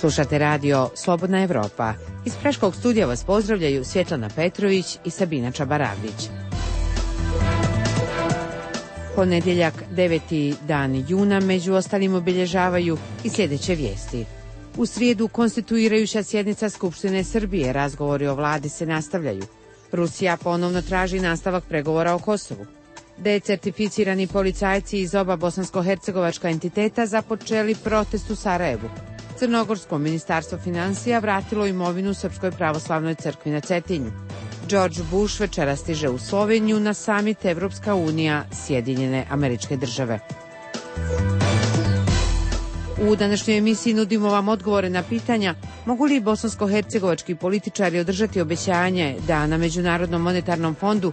Slušate radio Slobodna Evropa. Iz Praškog studija vas pozdravljaju Svjetlana Petrović i Sabina Čabaravlić. Ponedjeljak, 9. dan juna, među ostalim obilježavaju i sljedeće vijesti. U srijedu konstituirajuća sjednica Skupštine Srbije, razgovori o vladi se nastavljaju. Rusija ponovno traži nastavak pregovora o Kosovu. Decertificirani policajci iz oba bosansko-hercegovačka entiteta započeli protest u Sarajevu. Crnogorsko ministarstvo financija vratilo imovinu Srpskoj pravoslavnoj crkvi na Cetinju. George Bush večera stiže u Sloveniju na samit Evropska unija Sjedinjene Američke Države. U današnjoj emisiji nudimo vam odgovore na pitanja mogu li bosansko-hercegovački političari održati obećanje da na Međunarodnom monetarnom fondu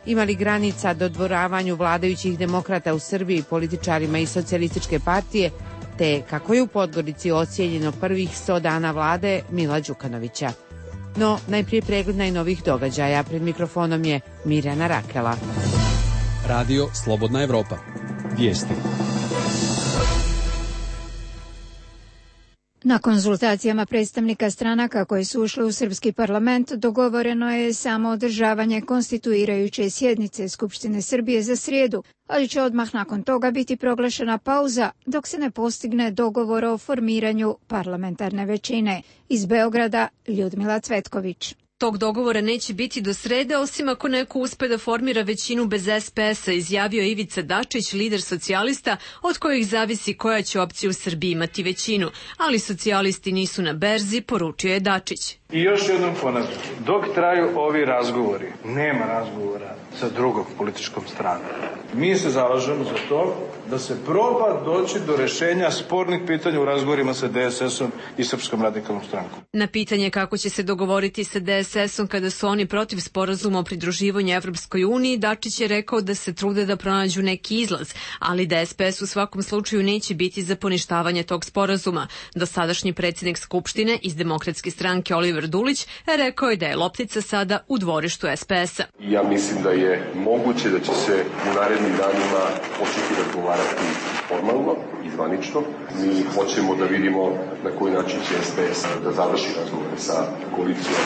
ima li granica dodvoravanju vladajućih demokrata u Srbiji političarima iz socijalističke partije, te kako je u Podgorici ocijenjeno prvih 100 dana vlade Mila Đukanovića. No, najprije pregled najnovijih događaja. Pred mikrofonom je Mirjana Rakela. Radio Slobodna Evropa. Vijesti. Na konzultacijama predstavnika stranaka koje su ušle u srpski parlament dogovoreno je samo održavanje konstituirajuće sjednice Skupštine Srbije za srijedu, ali će odmah nakon toga biti proglašena pauza dok se ne postigne dogovor o formiranju parlamentarne većine. Iz Beograda Ljudmila Cvetković. Tog dogovora neće biti do srede, osim ako neko uspe da formira većinu bez SPS-a, izjavio Ivica Dačić, lider socijalista, od kojih zavisi koja će opcija u Srbiji imati većinu. Ali socijalisti nisu na berzi, poručio je Dačić. I još jednom ponavljam, dok traju ovi razgovori, nema razgovora sa drugom političkom stranom. Mi se zalažemo za to da se proba doći do rješenja spornih pitanja u razgovorima sa DSS-om i Srpskom radikalnom strankom. Na pitanje kako će se dogovoriti sa DSS-om kada su oni protiv sporazuma o pridruživanju Evropskoj uniji, Dačić je rekao da se trude da pronađu neki izlaz, ali da SPS u svakom slučaju neće biti za poništavanje tog sporazuma. Dosadašnji predsjednik Skupštine iz Demokratske stranke Oliver Dulić rekao je da je loptica sada u dvorištu SPS-a. Ja mislim da je moguće da će se u narednim danima početi razgovarati formalno i zvanično. Mi hoćemo da vidimo na koji način će SPS da završi razgovore sa koalicijom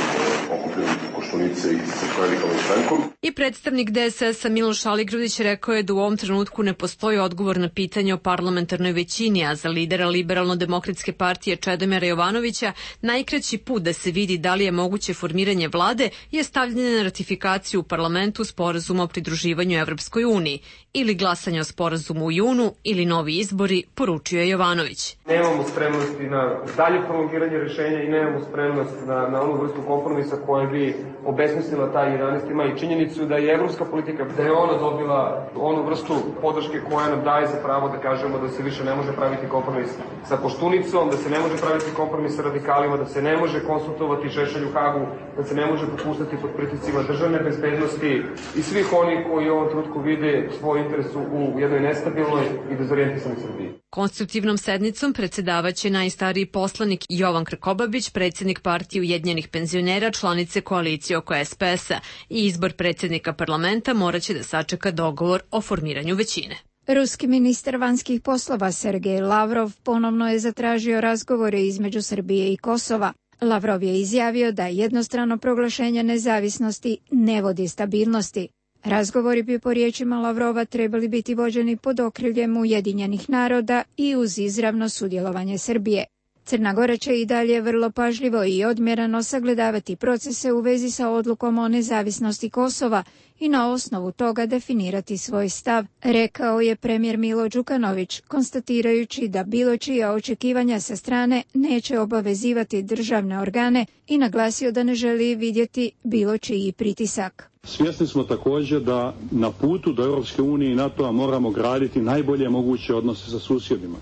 okupljenih Koštunice i Srpskom radikalnom strankom. I predstavnik DSS-a Miloš Aligrudić rekao je da u ovom trenutku ne postoji odgovor na pitanje o parlamentarnoj većini, a za lidera Liberalno-demokratske partije Čedomira Jovanovića najkraći put da se vidi da li je moguće formiranje vlade je stavljanje na ratifikaciju u parlamentu sporazuma o pridruživanju Evropskoj uniji, ili glasanje o sporazumu u junu, ili novi izbori, poručio je Jovanović. Nemamo spremnosti na dalje prolongiranje rješenja i nemamo spremnost na onu vrstu kompromisa koja bi obesmislila taj 11. maj i činjenicu da je evropska politika, da je ona dobila onu vrstu podrške koja nam daje za pravo da kažemo da se više ne može praviti kompromis sa Koštunicom, da se ne može praviti kompromis sa radikalima, da se ne može konsultovati Šešelj u Hagu, da se ne može popuštati pod pritiscima državne bezbednosti i svih onih koji u ovom trenutku vide svoj interes u jednoj nestabilnoj i dezorientisanoj Srbiji. Konstruktivnom sednicom predsjedavaće najstariji poslanik Jovan Krkobabić, predsjednik partije Ujedinjenih penzionera, članice koalicije oko SPS-a, i izbor predsjednika parlamenta moraće da sačeka dogovor o formiranju većine. Ruski ministar vanjskih poslova Sergej Lavrov ponovno je zatražio razgovore između Srbije i Kosova. Lavrov je izjavio da jednostrano proglašenje nezavisnosti ne vodi stabilnosti. Razgovori bi po riječima Lavrova trebali biti vođeni pod okriljem Ujedinjenih naroda i uz izravno sudjelovanje Srbije. Crna Gora će i dalje vrlo pažljivo i odmjereno sagledavati procese u vezi sa odlukom o nezavisnosti Kosova i na osnovu toga definirati svoj stav, rekao je premijer Milo Đukanović, konstatirajući da bilo čija očekivanja sa strane neće obavezivati državne organe i naglasio da ne želi vidjeti bilo čiji pritisak. Svjesni smo također da na putu do Europske unije i NATO-a moramo graditi najbolje moguće odnose sa susjedima.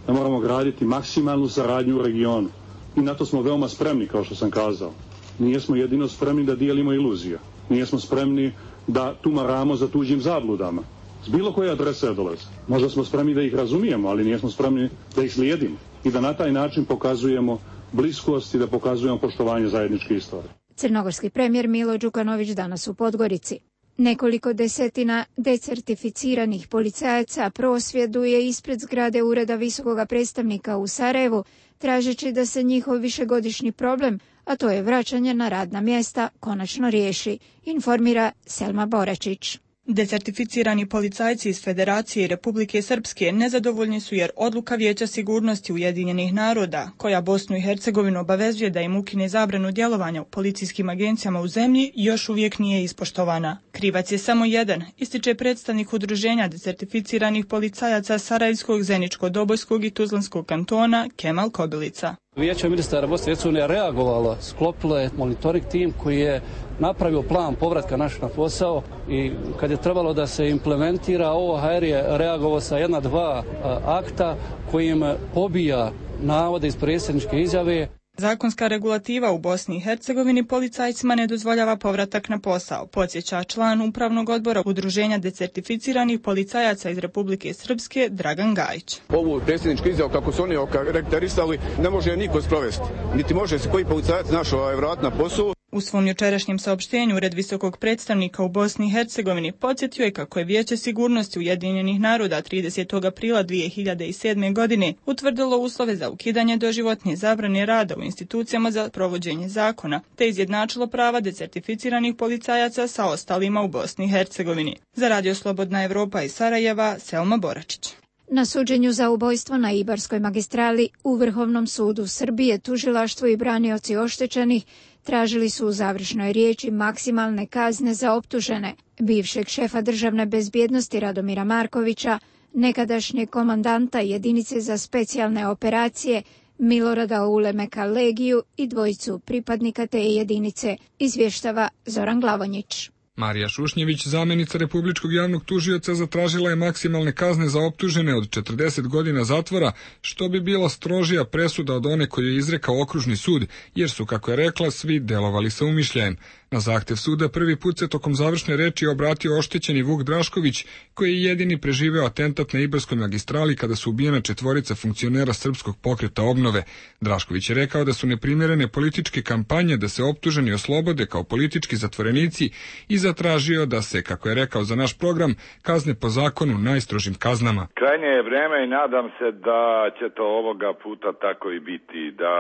Da moramo graditi maksimalnu saradnju u regionu. I na to smo veoma spremni, kao što sam kazao. Nijesmo jedino spremni da dijelimo iluzije. Nijesmo spremni da tumaramo za tuđim zabludama. S bilo koje adrese dolaze. Možda smo spremni da ih razumijemo, ali nijesmo spremni da ih slijedimo. I da na taj način pokazujemo bliskost i da pokazujemo poštovanje zajedničke istorije. Crnogorski premijer Milo Đukanović danas u Podgorici. Nekoliko desetina decertificiranih policajaca prosvjeduje ispred zgrade Ureda visokog predstavnika u Sarajevu tražeći da se njihov višegodišnji problem, a to je vraćanje na radna mjesta, konačno riješi, informira Selma Boračić. Decertificirani policajci iz Federacije i Republike Srpske nezadovoljni su jer odluka Vijeća sigurnosti Ujedinjenih naroda, koja Bosnu i Hercegovinu obavezuje da im ukine zabranu djelovanja u policijskim agencijama u zemlji, još uvijek nije ispoštovana. Krivac je samo jedan, ističe predstavnik udruženja decertificiranih policajaca Sarajevskog, Zeničko-Dobojskog i Tuzlanskog kantona Kemal Kobilica. Vijeće ministara Bosne i Hercegovine reagovalo, sklopilo je monitoring tim koji je napravio plan povratka našeg na posao i kad je trebalo da se implementira, OHR je reagovao sa 1-2 akta kojim pobija navode iz predsjedničke izjave. Zakonska regulativa u Bosni i Hercegovini policajcima ne dozvoljava povratak na posao, podsjeća član upravnog odbora Udruženja decertificiranih policajaca iz Republike Srpske Dragan Gajić. Ovu predsjedničku izjavu kako su oni okarakterisali ne može niko sprovesti, niti može se koji policajac našao vrat na posao. U svom jučerašnjem saopštenju Ured visokog predstavnika u Bosni i Hercegovini podsjetio je kako je Vijeće sigurnosti Ujedinjenih naroda 30. aprila 2007. godine utvrdilo uslove za ukidanje doživotne zabrane rada u institucijama za provođenje zakona, te izjednačilo prava decertificiranih policajaca sa ostalima u Bosni i Hercegovini. Za Radio Slobodna Evropa iz Sarajeva, Selma Boračić. Na suđenju za ubojstvo na Ibarskoj magistrali u Vrhovnom sudu Srbije tužilaštvo i branioci oštećenih tražili su u završnoj riječi maksimalne kazne za optužene, bivšeg šefa državne bezbjednosti Radomira Markovića, nekadašnjeg komandanta jedinice za specijalne operacije Milorada Ulemeka Legiju i dvojicu pripadnika te jedinice, izvještava Zoran Glavonjić. Marija Šušnjević, zamjenica Republičkog javnog tužioca, zatražila je maksimalne kazne za optužene od 40 godina zatvora, što bi bila strožija presuda od one koju je izrekao okružni sud, jer su, kako je rekla, svi delovali sa umišljajem. Na zahtjev suda prvi put se tokom završne reči obratio oštećeni Vuk Drašković, koji je jedini preživeo atentat na Ibarskoj magistrali kada su ubijena 4 funkcionera Srpskog pokreta obnove. Drašković je rekao da su neprimjerene političke kampanje da se optuženi oslobode kao politički zatvorenici i zatražio da se, kako je rekao za naš program, kazne po zakonu najstrožim kaznama. Krajnje je vreme i nadam se da će to ovoga puta tako i biti, da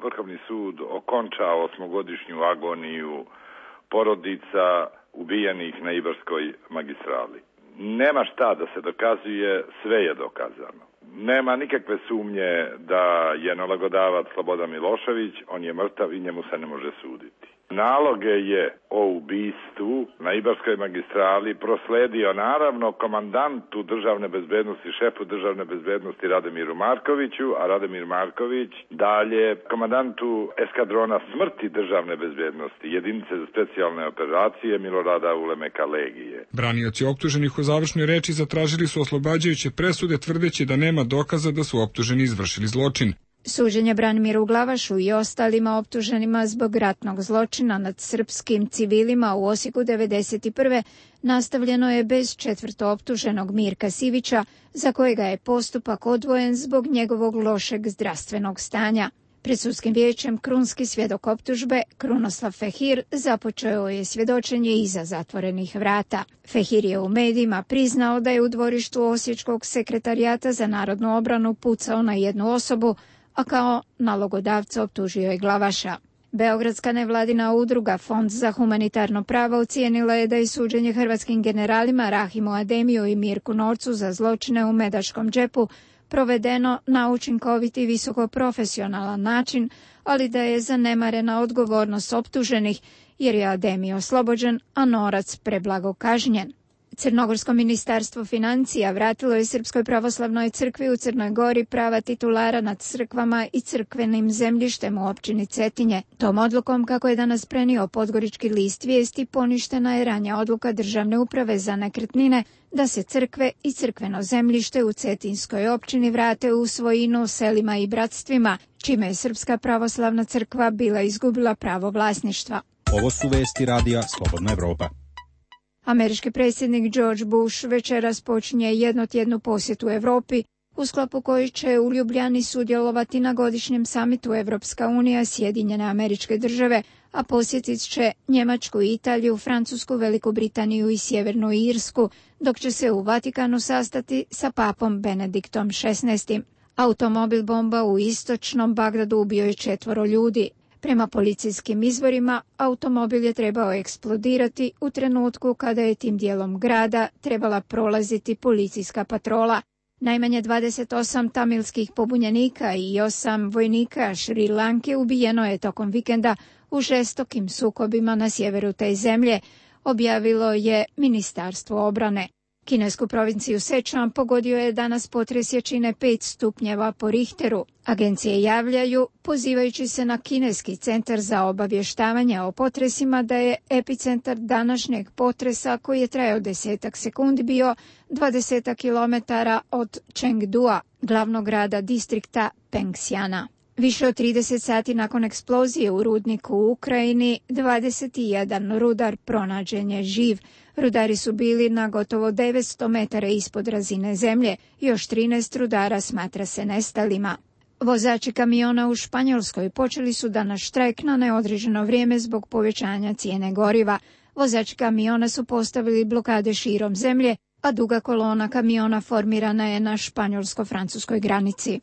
Vrhovni sud okonča 8-godišnju agoniju porodica ubijenih na Ibarskoj magistrali. Nema šta da se dokazuje, sve je dokazano. Nema nikakve sumnje da je nalogodavac Slobodan Milošević, on je mrtav i njemu se ne može suditi. Naloge je o ubistvu na Ibarskoj magistrali prosledio naravno komandantu državne bezbednosti, šefu državne bezbednosti Radomiru Markoviću, a Radomir Marković dalje komandantu eskadrona smrti državne bezbednosti, jedinice za specijalne operacije Milorada Ulemeka Legije. Branioci optuženih u završnoj reči zatražili su oslobađajuće presude, tvrdeći da nema dokaza da su optuženi izvršili zločin. Suđenje Branimiru Glavašu i ostalima optuženima zbog ratnog zločina nad srpskim civilima u Osijeku 1991. nastavljeno je bez četvrtooptuženog Mirka Sivića, za kojega je postupak odvojen zbog njegovog lošeg zdravstvenog stanja. Pred sudskim vijećem krunski svjedok optužbe Krunoslav Fehir započeo je svjedočenje iza zatvorenih vrata. Fehir je u medijima priznao da je u dvorištu Osječkog sekretarijata za narodnu obranu pucao na jednu osobu, a kao nalogodavca optužio je Glavaša. Beogradska nevladina udruga Fond za humanitarno pravo ocijenila je da je suđenje hrvatskim generalima Rahimu Ademiju i Mirku Norcu za zločine u Medačkom džepu provedeno na učinkovit i visokoprofesionalan način, ali da je zanemarena odgovornost optuženih jer je Ademi oslobođen, a Norac preblago kažnjen. Crnogorsko ministarstvo financija vratilo je Srpskoj pravoslavnoj crkvi u Crnoj Gori prava titulara nad crkvama i crkvenim zemljištem u općini Cetinje. Tom odlukom, kako je danas prenio Podgorički list vijesti, poništena je ranja odluka Državne uprave za nekretnine da se crkve i crkveno zemljište u Cetinskoj općini vrate u svojinu selima i bratstvima, čime je Srpska pravoslavna crkva bila izgubila pravo vlasništva. Ovo su vesti radija Slobodna Evropa. Američki predsjednik George Bush večeras počinje jednotjednu posjetu Europi, u sklopu koji će u Ljubljani sudjelovati na godišnjem samitu Evropska unija, Sjedinjene Američke Države, a posjetit će Njemačku, Italiju, Francusku, Veliku Britaniju i Sjevernu Irsku, dok će se u Vatikanu sastati sa papom Benediktom XVI. Automobil bomba u istočnom Bagdadu ubio je 4 ljudi. Prema policijskim izvorima, automobil je trebao eksplodirati u trenutku kada je tim dijelom grada trebala prolaziti policijska patrola. Najmanje 28 tamilskih pobunjenika i 8 vojnika Šri Lanke ubijeno je tokom vikenda u žestokim sukobima na sjeveru te zemlje, objavilo je Ministarstvo obrane. Kinesku provinciju Sečuan pogodio je danas potres jačine 5 stupnjeva po Richteru. Agencije javljaju, pozivajući se na Kineski centar za obavještavanje o potresima, da je epicentar današnjeg potresa, koji je trajao 10 sekundi, bio 20 km od Chengdua, glavnog grada distrikta Pengxiana. Više od 30 sati nakon eksplozije u rudniku u Ukrajini, 21 rudar pronađen je živ. Rudari su bili na gotovo 900 metara ispod razine zemlje, još 13 rudara smatra se nestalima. Vozači kamiona u Španjolskoj počeli su danas štrajk na neodređeno vrijeme zbog povećanja cijene goriva. Vozači kamiona su postavili blokade širom zemlje, a duga kolona kamiona formirana je na španjolsko-francuskoj granici.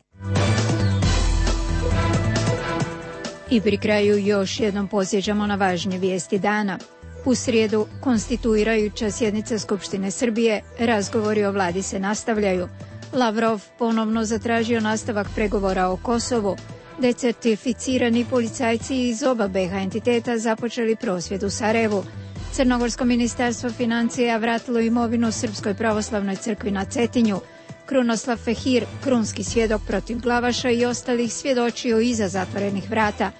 I pri kraju još jednom podsjećamo na važnje vijesti dana. U srijedu, konstituirajuća sjednica Skupštine Srbije, razgovori o vladi se nastavljaju. Lavrov ponovno zatražio nastavak pregovora o Kosovu. Decertificirani policajci iz oba BiH entiteta započeli prosvjed u Sarajevu. Crnogorsko ministarstvo financija vratilo imovinu Srpskoj pravoslavnoj crkvi na Cetinju. Krunoslav Fehir, krunski svjedok protiv Glavaša i ostalih, svjedočio iza zatvorenih vrata.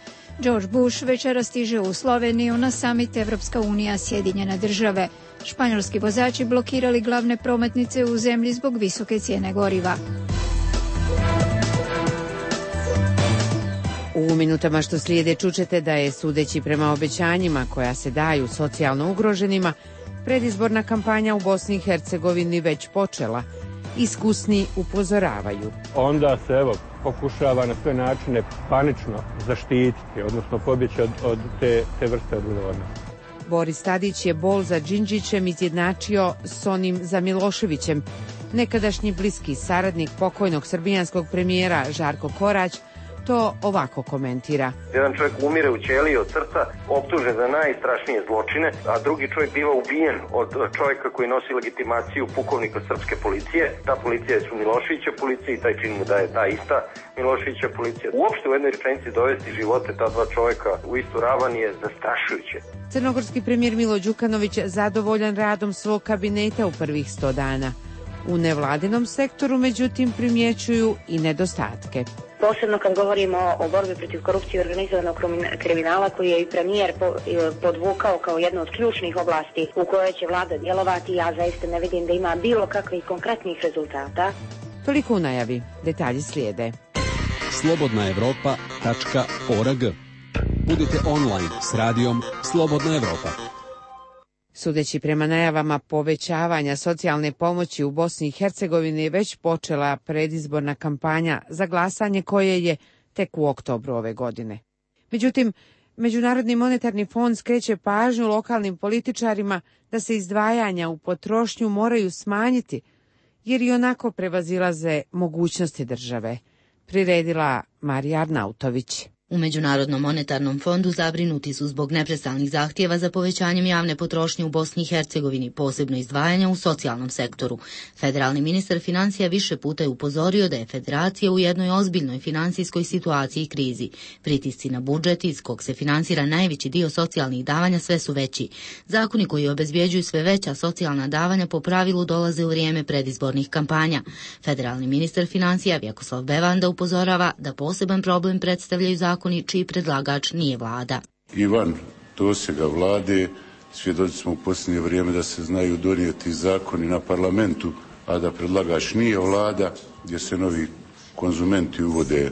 George Bush večera stiže u Sloveniju na samit Evropska unija Sjedinjene države. Španjolski vozači blokirali glavne prometnice u zemlji zbog visoke cijene goriva. U minutama što slijede čućete da je, sudeći prema obećanjima koja se daju socijalno ugroženima, predizborna kampanja u Bosni i Hercegovini već počela. Iskusni upozoravaju. Onda se pokušava na sve načine panično zaštititi, odnosno pobjeći od te vrste odgovornosti. Boris Tadić je bol za Đinđićem izjednačio s onim za Miloševićem. Nekadašnji bliski saradnik pokojnog srbijanskog premijera Žarko Korać to ovako komentira. Jedan čovjek umire u ćeliji od srca, optužen za najstrašnije zločine, a drugi čovjek biva ubijen od čovjeka koji nosi legitimaciju pukovnika srpske policije. Ta policija je su Miloševića policija i taj čin mu daje ta ista Miloševića policija. Uopšte u jednoj rečenici dovesti živote ta dva čovjeka u istu ravan je zastrašujuće. Crnogorski premijer Milo Đukanović zadovoljan radom svog kabineta u prvih 100 dana. U nevladinom sektoru, međutim, primjećuju i nedostatke. Posebno kad govorimo o borbi protiv korupcije i organizovanog kriminala, koji je i premijer podvukao kao jednu od ključnih oblasti u kojoj će vlada djelovati, ja zaista ne vidim da ima bilo kakvih konkretnih rezultata. Toliko u najavi. Detalji slijede. slobodnaevropa.org. Budite online s radijom Slobodna Evropa. Sudeći prema najavama povećavanja socijalne pomoći u Bosni i Hercegovini je već počela predizborna kampanja za glasanje koje je tek u oktobru ove godine. Međutim, Međunarodni monetarni fond skreće pažnju lokalnim političarima da se izdvajanja u potrošnju moraju smanjiti, jer i onako prevazilaze mogućnosti države. Priredila Marija Arnautović. U Međunarodnom monetarnom fondu zabrinuti su zbog neprestalnih zahtjeva za povećanjem javne potrošnje u Bosni i Hercegovini, posebno izdvajanja u socijalnom sektoru. Federalni ministar financija više puta je upozorio da je federacija u jednoj ozbiljnoj financijskoj situaciji i krizi. Pritisci na budžet, iz kog se finansira najveći dio socijalnih davanja, sve su veći. Zakoni koji obezbjeđuju sve veća socijalna davanja po pravilu dolaze u vrijeme predizbornih kampanja. Federalni ministar financija Vjekoslav Bevanda upozorava da poseban problem predstavljaju zakoni čiji predlagač nije vlada. Ivan dosega vlade, svjedoci smo u posljednje vrijeme da se znaju donijeti zakoni na parlamentu, a da predlagač nije vlada, gdje se novi konzumenti uvode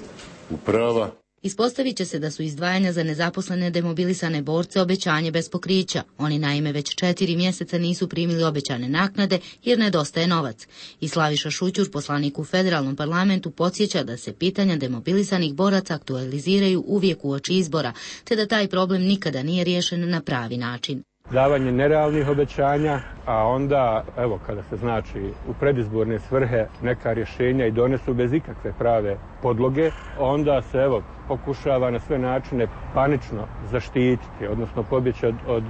u prava. Ispostavit će se da su izdvajanja za nezaposlene demobilisane borce obećanje bez pokrića. Oni naime već 4 mjeseca nisu primili obećane naknade jer nedostaje novac. I Slaviša Šućur, poslanik u federalnom parlamentu, podsjeća da se pitanja demobilisanih boraca aktualiziraju uvijek uoči izbora, te da taj problem nikada nije riješen na pravi način. davanje nerealnih obećanja, a onda, evo, kada se znači u predizborne svrhe neka rješenja i donesu bez ikakve prave podloge, onda se, evo, pokušava na sve načine panično zaštititi, odnosno pobjeći od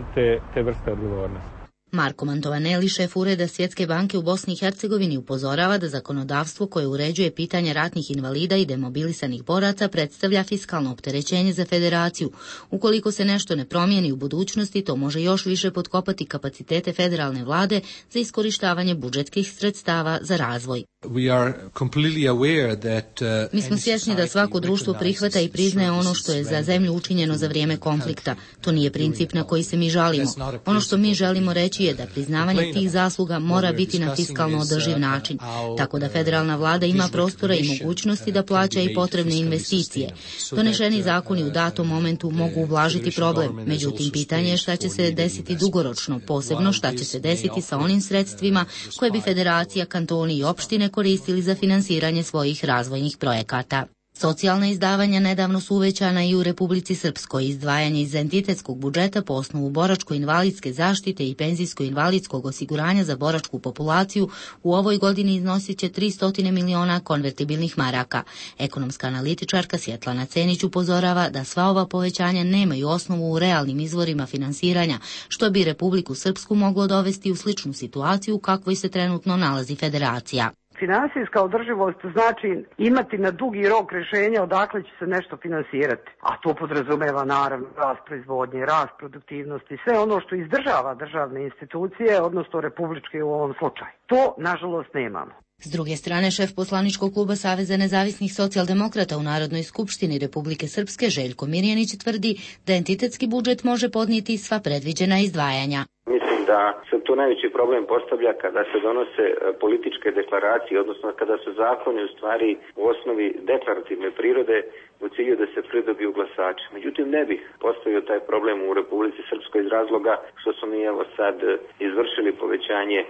te vrste odgovornosti. Marko Mantovaneli, šef ureda Svjetske banke u Bosni i Hercegovini, upozorava da zakonodavstvo koje uređuje pitanje ratnih invalida i demobilisanih boraca predstavlja fiskalno opterećenje za federaciju. Ukoliko se nešto ne promijeni u budućnosti, to može još više potkopati kapacitete federalne vlade za iskorištavanje budžetskih sredstava za razvoj. Mi smo svjesni da svako društvo prihvata i priznaje ono što je za zemlju učinjeno za vrijeme konflikta. To nije princip na koji se mi žalimo. Ono što mi želimo reći je da priznavanje tih zasluga mora biti na fiskalno održiv način, tako da federalna vlada ima prostora i mogućnosti da plaća i potrebne investicije. Donešeni zakoni u datom momentu mogu ublažiti problem, međutim pitanje je šta će se desiti dugoročno, posebno šta će se desiti sa onim sredstvima koje bi federacija, kantoni i opštine koristili za finansiranje svojih razvojnih projekata. Socijalna izdavanja nedavno su uvećana i u Republici Srpskoj. Izdvajanje iz entitetskog budžeta po osnovu boračko-invalidske zaštite i penzijsko-invalidskog osiguranja za boračku populaciju u ovoj godini iznosit će 300 miliona konvertibilnih maraka. Ekonomska analitičarka Svjetlana Cenić upozorava da sva ova povećanja nemaju osnovu u realnim izvorima finansiranja, što bi Republiku Srpsku moglo dovesti u sličnu situaciju u kakvoj se trenutno nalazi federacija. Finansijska održivost znači imati na dugi rok rješenja odakle će se nešto finansirati, a to podrazumeva naravno rast proizvodnje, rast produktivnosti, sve ono što izdržava državne institucije, odnosno republičke u ovom slučaju. To, nažalost, nemamo. S druge strane, šef poslaničkog kluba Saveza nezavisnih socijaldemokrata u Narodnoj skupštini Republike Srpske Željko Mirjanić tvrdi da entitetski budžet može podnijeti sva predviđena izdvajanja. Mislim da se tu najveći problem postavlja kada se donose političke deklaracije, odnosno kada su zakoni u stvari u osnovi deklarativne prirode u cilju da se pridobiju glasači. Međutim, ne bih postavio taj problem u Republici Srpskoj iz razloga što smo mi evo sad izvršili povećanje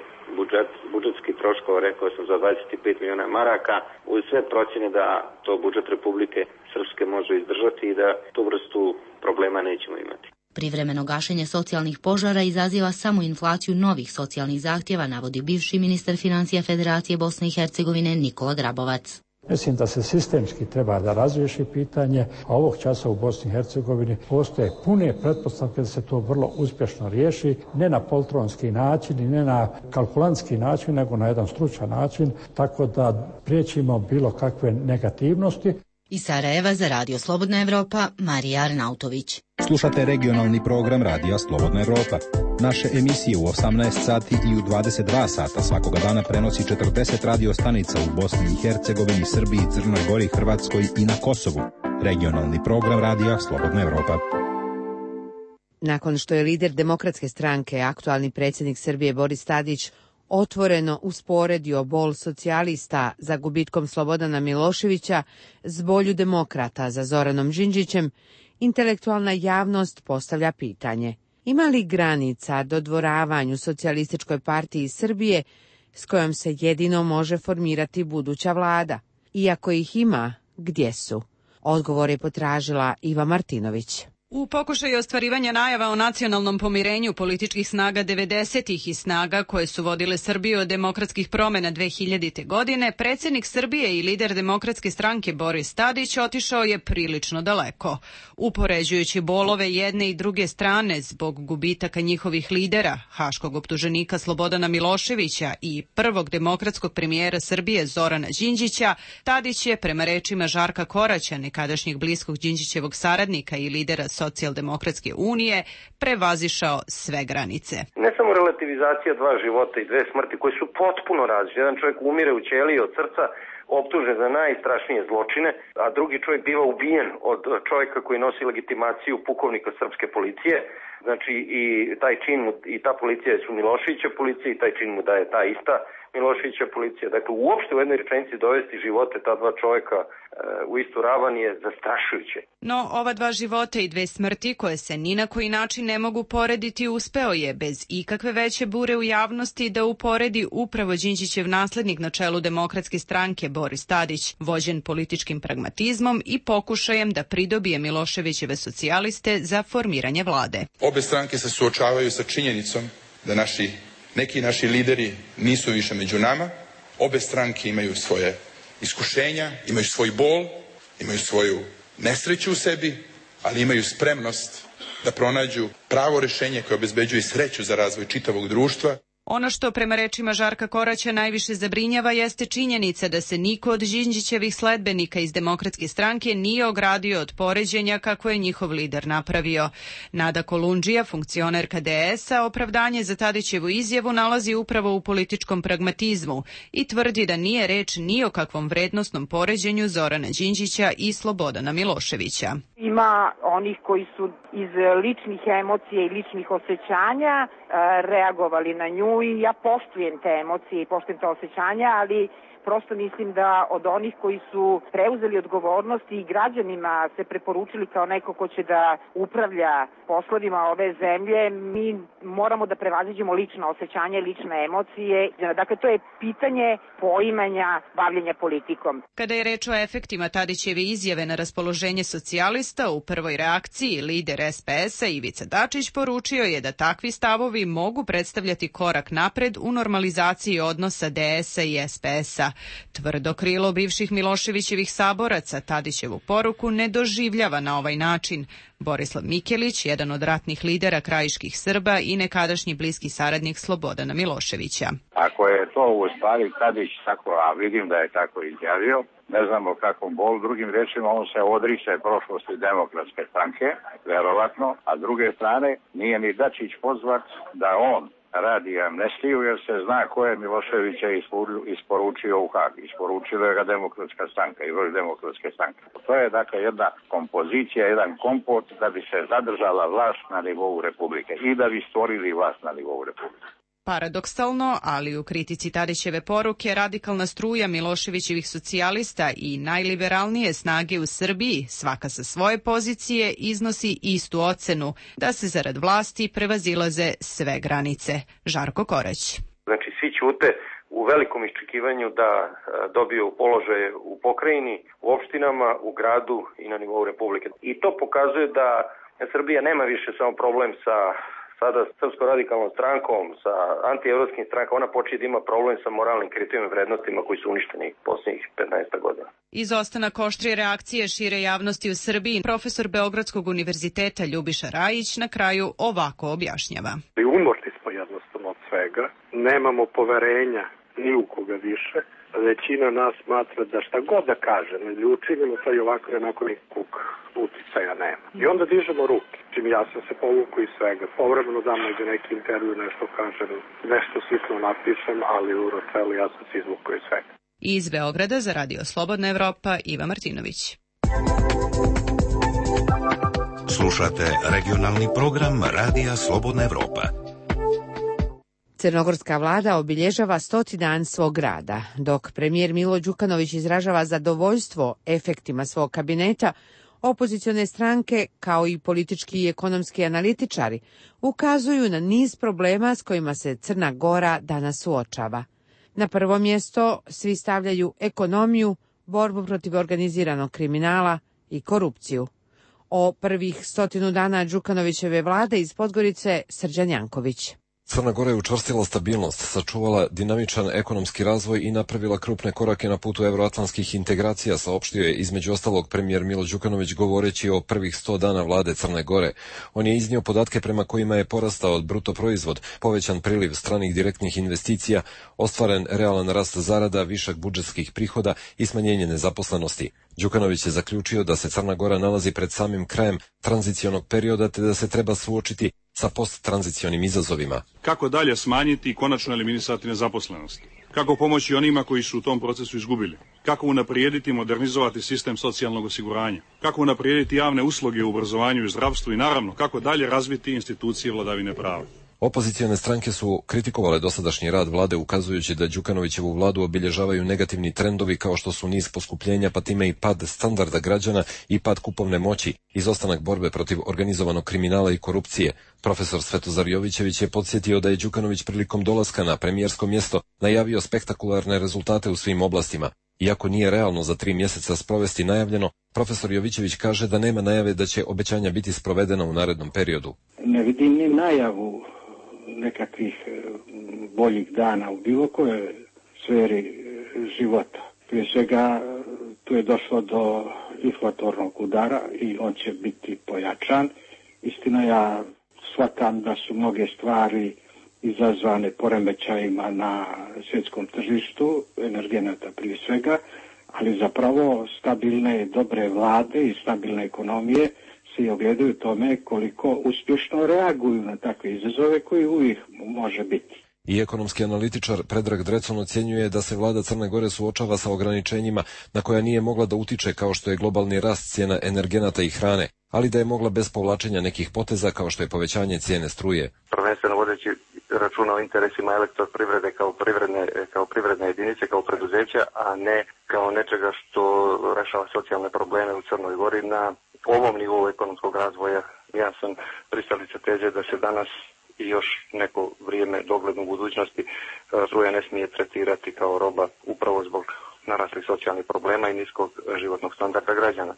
budžetskih troškova, rekao sam, za 25 miliona maraka, uz sve procjene da to budžet Republike Srpske može izdržati i da tu vrstu problema nećemo imati. Privremeno gašenje socijalnih požara izaziva samo inflaciju novih socijalnih zahtjeva, navodi bivši ministar financija Federacije Bosne i Hercegovine Nikola Grabovac. Mislim da se sistemski treba da razriješi pitanje, a ovog časa u Bosni i Hercegovini postoje pune pretpostavke da se to vrlo uspješno riješi, ne na poltronski način i ne na kalkulantski način, nego na jedan stručan način, tako da priječimo bilo kakve negativnosti. Iz Sarajeva za Radio Slobodna Evropa, Marija Arnautović. Slušate regionalni program Radija Slobodna Evropa. Naše emisije u 18 sati i u 22 sata svakoga dana prenosi 40 radio stanica u Bosni i Hercegovini, Srbiji, Crnoj Gori, Hrvatskoj i na Kosovu. Regionalni program Radija Slobodna Evropa. Nakon što je lider Demokratske stranke, aktualni predsjednik Srbije Boris Tadić, otvoreno usporedio bol socijalista za gubitkom Slobodana Miloševića s bolju demokrata za Zoranom Đinđićem, intelektualna javnost postavlja pitanje: ima li granica dodvoravanju Socijalističkoj partiji Srbije s kojom se jedino može formirati buduća vlada? Iako ih ima, gdje su? Odgovor je potražila Iva Martinović. U pokušaju ostvarivanja najava o nacionalnom pomirenju političkih snaga 90-ih i snaga koje su vodile Srbiju od demokratskih promjena 2000. godine, predsjednik Srbije i lider Demokratske stranke Boris Tadić otišao je prilično daleko. Upoređujući bolove jedne i druge strane zbog gubitaka njihovih lidera, haškog optuženika Slobodana Miloševića i prvog demokratskog premijera Srbije Zorana Đinđića, Tadić je, prema rečima Žarka Koraća, nekadašnjeg bliskog Đinđićevog saradnika i lidera Socijaldemokratske unije, prevazišao sve granice. Ne samo relativizacija dva života i dve smrti koje su potpuno različite. Jedan čovjek umire u ćeliji od srca, optužen za najstrašnije zločine, a drugi čovjek biva ubijen od čovjeka koji nosi legitimaciju pukovnika srpske policije. Znači i taj čin i ta policija su Miloševića policija i taj čin mu daje ta ista Miloševića policija. Dakle, uopšte u jednoj rečenici dovesti živote ta dva čoveka u istu ravan je zastrašujuće. No, ova dva života i dve smrti koje se ni na koji način ne mogu porediti uspeo je bez ikakve veće bure u javnosti da uporedi upravo Đinđićev naslednik na čelu Demokratske stranke Boris Tadić, vođen političkim pragmatizmom i pokušajem da pridobije Miloševićeve socijaliste za formiranje vlade. Obe stranke se suočavaju sa činjenicom da neki naši lideri nisu više među nama. Obe stranke imaju svoje iskušenja, imaju svoj bol, imaju svoju nesreću u sebi, ali imaju spremnost da pronađu pravo rješenje koje obezbeđuje sreću za razvoj čitavog društva. Ono što prema rečima Žarka Koraća najviše zabrinjava jeste činjenica da se niko od Đinđićevih sledbenika iz Demokratske stranke nije ogradio od poređenja kako je njihov lider napravio. Nada Kolundžija, funkcionerka DS-a, opravdanje za Tadićevu izjavu nalazi upravo u političkom pragmatizmu i tvrdi da nije reč ni o kakvom vrednosnom poređenju Zorana Đinđića i Slobodana Miloševića. Ima onih koji su iz ličnih emocija i ličnih osjećanja reagovali na nju i ja poštujem te emocije i poštujem te osjećanja, ali prosto mislim da od onih koji su preuzeli odgovornost i građanima se preporučili kao neko ko će da upravlja poslovima ove zemlje, mi moramo da prevaziđemo lična osjećanja i lične emocije. Dakle, to je pitanje poimanja bavljenja politikom. Kada je reč o efektima Tadićeve izjave na raspoloženje socijalista, u prvoj reakciji lider SPS-a Ivica Dačić poručio je da takvi stavovi mogu predstavljati korak napred u normalizaciji odnosa DS-a i SPS-a. Tvrdo krilo bivših Miloševićevih saboraca Tadićevu poruku ne doživljava na ovaj način. Borislav Mikelić, jedan od ratnih lidera krajiških Srba i nekadašnji bliski saradnik Slobodana Miloševića. Ako je to u stvari Tadić tako, a vidim da je tako izjavio, ne znamo kakvom bolu, drugim rečima on se odriče prošlosti Demokratske stranke, verovatno, a druge strane nije ni Dačić pozvat da on radi amnestiju jer se zna ko je Miloševića isporučio u Hag. Isporučila ga Demokratska stranka i vrh Demokratske stranke. To je dakle jedna kompozicija, jedan kompot da bi se zadržala vlast na nivou Republike i da bi stvorili vlast na nivou Republike. Paradoksalno, ali u kritici Tadićeve poruke radikalna struja Miloševićevih socijalista i najliberalnije snage u Srbiji, svaka sa svoje pozicije, iznosi istu ocenu, da se zarad vlasti prevazilaze sve granice. Žarko Korać. Znači, svi ćute u velikom iščekivanju da dobiju položaje u pokrajini, u opštinama, u gradu i na nivou Republike. I to pokazuje da Srbija nema više samo problem sa sada srpsko-radikalnom strankom, sa antievropskim strankama, ona počinje da ima problem sa moralnim kriterijima i vrednostima koji su uništeni posljednjih 15 godina. Izostanak oštrije reakcije šire javnosti u Srbiji, profesor Beogradskog univerziteta Ljubiša Rajić na kraju ovako objašnjava. Umorni smo jednostavno od svega, nemamo poverenja ni u koga više. Većina nas smatra da šta god da kaže, ne učinimo to i ovako je onako nikog uticaja nema. I onda dižemo ruke. Čim ja sam se povukao iz svega. Povremeno dam negdje neki intervju, nešto kažem, nešto sitno napišem, ali u Rocelu ja sam se izvukao iz svega. Iz Beograda za Radio Slobodna Evropa, Iva Martinović. Slušate regionalni program Radija Slobodna Evropa. Crnogorska vlada obilježava 100. dan svog rada. Dok premijer Milo Đukanović izražava zadovoljstvo efektima svog kabineta, opozicione stranke, kao i politički i ekonomski analitičari, ukazuju na niz problema s kojima se Crna Gora danas suočava. Na prvo mjesto svi stavljaju ekonomiju, borbu protiv organiziranog kriminala i korupciju. O prvih 100 dana Đukanovićeve vlade iz Podgorice Srđan Janković. Crna Gora je učvrstila stabilnost, sačuvala dinamičan ekonomski razvoj i napravila krupne korake na putu evroatlantskih integracija, saopštio je između ostalog premijer Milo Đukanović govoreći o prvih 100 dana vlade Crne Gore. On je iznio podatke prema kojima je porastao bruto proizvod, povećan priliv stranih direktnih investicija, ostvaren realan rast zarada, višak budžetskih prihoda i smanjenje nezaposlenosti. Đukanović je zaključio da se Crna Gora nalazi pred samim krajem tranzicionog perioda te da se treba suočiti sa posttranzicionim izazovima. Kako dalje smanjiti i konačno eliminisati nezaposlenost? Kako pomoći onima koji su u tom procesu izgubili? Kako unaprijediti i modernizovati sistem socijalnog osiguranja? Kako unaprijediti javne usluge u obrazovanju i zdravstvu i naravno kako dalje razviti institucije vladavine prava? Opozicione stranke su kritikovale dosadašnji rad vlade ukazujući da Đukanovićevu vladu obilježavaju negativni trendovi kao što su niz poskupljenja, pa time i pad standarda građana i pad kupovne moći, izostanak borbe protiv organizovanog kriminala i korupcije. Profesor Svetozar Jovićević je podsjetio da je Đukanović prilikom dolaska na premijersko mjesto najavio spektakularne rezultate u svim oblastima. Iako nije realno za 3 mjeseca sprovesti najavljeno, profesor Jovićević kaže da nema najave da će obećanja biti sprovedena u narednom periodu. Ne vidim ni najavu nekakvih boljih dana u bilo kojoj sferi života. Prije svega tu je došlo do inflatornog udara i on će biti pojačan. Istina, ja shvatam da su mnoge stvari izazvane poremećajima na svjetskom tržištu, energenata prije svega, ali zapravo stabilne dobre vlade i stabilne ekonomije se ogledaju tome koliko uspješno reaguju na takve izazove koji uvijek može biti. I ekonomski analitičar Predrag Drecun ocjenjuje da se vlada Crne Gore suočava sa ograničenjima na koja nije mogla da utiče kao što je globalni rast cijena energenata i hrane, ali da je mogla bez povlačenja nekih poteza kao što je povećanje cijene struje. Prvenstveno vodeći računa o interesima elektroprivrede kao privredne jedinice, kao preduzeća, a ne kao nečega što rešava socijalne probleme u Crnoj Gori na ovom nivou ekonomskog razvoja. Ja sam pristalica teze da se danas i još neko vrijeme dogledno u budućnosti struja ne smije tretirati kao roba upravo zbog naraslih socijalnih problema i niskog životnog standarda građana.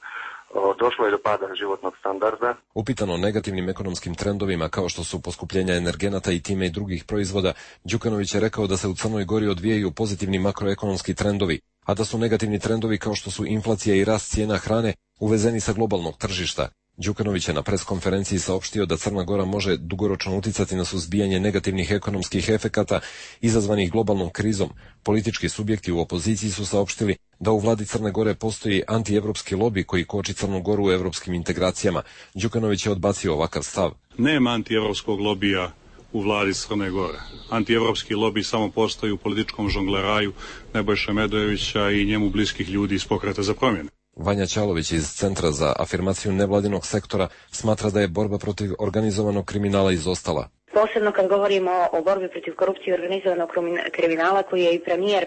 Došlo je do pada životnog standarda. Upitano o negativnim ekonomskim trendovima kao što su poskupljenja energenata i time i drugih proizvoda, Đukanović je rekao da se u Crnoj Gori odvijaju pozitivni makroekonomski trendovi, a da su negativni trendovi kao što su inflacija i rast cijena hrane uvezeni sa globalnog tržišta. Đukanović je na preskonferenciji saopštio da Crna Gora može dugoročno uticati na suzbijanje negativnih ekonomskih efekata izazvanih globalnom krizom. Politički subjekti u opoziciji su saopštili da u vladi Crne Gore postoji antievropski lobi koji koči Crnu Goru u evropskim integracijama. Đukanović je odbacio ovakav stav. Nema antievropskog lobija u vladi Crne Gore. Antievropski lobi samo postoji u političkom žongleraju Nebojše Medojevića i njemu bliskih ljudi iz Pokreta za promjene. Vanja Ćalović iz Centra za afirmaciju nevladinog sektora smatra da je borba protiv organizovanog kriminala izostala. Posebno kad govorimo o borbi protiv korupcije i organizovanog kriminala koji je i premijer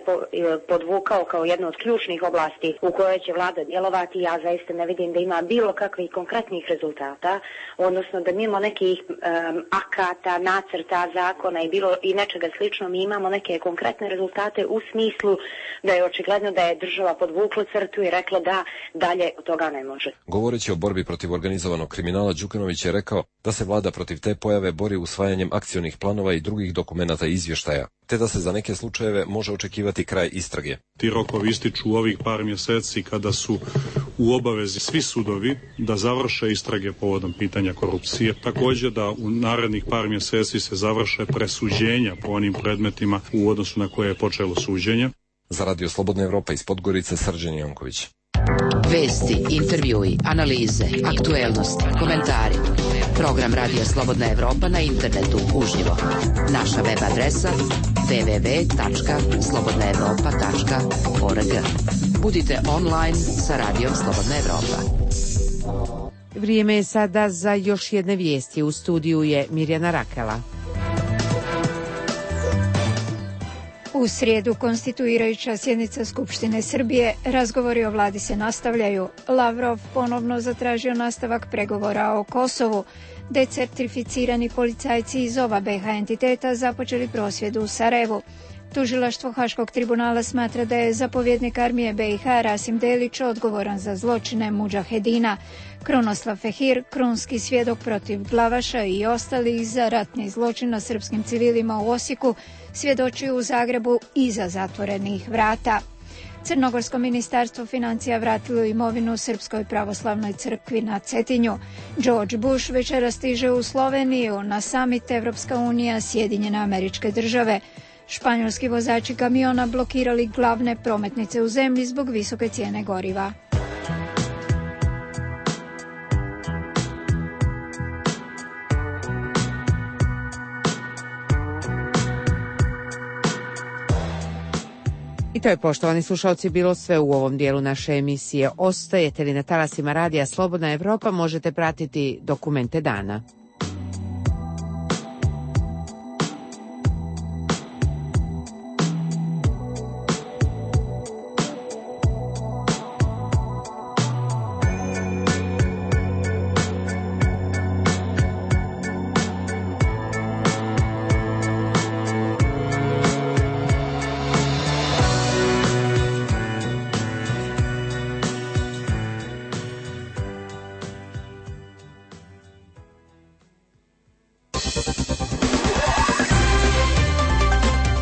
podvukao kao jednu od ključnih oblasti u kojoj će vlada djelovati, ja zaista ne vidim da ima bilo kakvih konkretnih rezultata, odnosno da mimo nekih akata, nacrta, zakona i nečega slično mi imamo neke konkretne rezultate u smislu da je očigledno da je država podvukla crtu i rekla da dalje od toga ne može. Govoreći o borbi protiv organizovanog kriminala, Đukanović je rekao da se vlada protiv te pojave bori usvajanjem akcionih planova i drugih dokumenata i izvještaja, te da se za neke slučajeve može očekivati kraj istrage. Ti rokovi ističu u ovih par mjeseci kada su u obavezi svi sudovi da završe istrage povodom pitanja korupcije. Također da u narednih par mjeseci se završe presuđenja po onim predmetima u odnosu na koje je počelo suđenje. Za Radio Slobodna Evropa iz Podgorice, Srđan Janković. Vesti, intervjui, analize, aktuelnosti, komentari. Program Radio Slobodna Evropa na internetu uživo. Naša web adresa www.slobodnaevropa.org. Budite online sa Radijom Slobodna Evropa. Vrijeme je sada za još jedne vijesti. U studiju je Mirjana Rakela. U srijedu konstituirajuća sjednica Skupštine Srbije, razgovori o vladi se nastavljaju. Lavrov ponovno zatražio nastavak pregovora o Kosovu. Decertificirani policajci iz oba BiH entiteta započeli prosvjed u Sarajevu. Tužilaštvo Haškog tribunala smatra da je zapovjednik armije BiH Rasim Delić odgovoran za zločine mudžahedina. Krunoslav Fehir, krunski svjedok protiv Glavaša i ostalih za ratni zločin na srpskim civilima u Osijeku, svjedočio u Zagrebu iza zatvorenih vrata. Crnogorsko ministarstvo financija vratilo imovinu Srpskoj pravoslavnoj crkvi na Cetinju. George Bush večeras stiže u Sloveniju na summit Evropska unija Sjedinjene Američke Države. Španjolski vozači kamiona blokirali glavne prometnice u zemlji zbog visoke cijene goriva. I to je, poštovani slušalci, bilo sve u ovom dijelu naše emisije. Ostajete li na talasima Radija Slobodna Evropa, možete pratiti dokumente dana.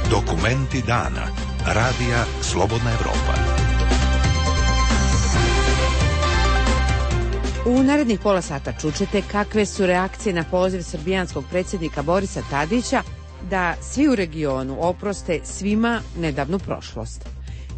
Dokumenti dana. Radija Slobodna Evropa. U narednih pola sata čućete kakve su reakcije na poziv srbijanskog predsjednika Borisa Tadića da svi u regionu oproste svima nedavnu prošlost.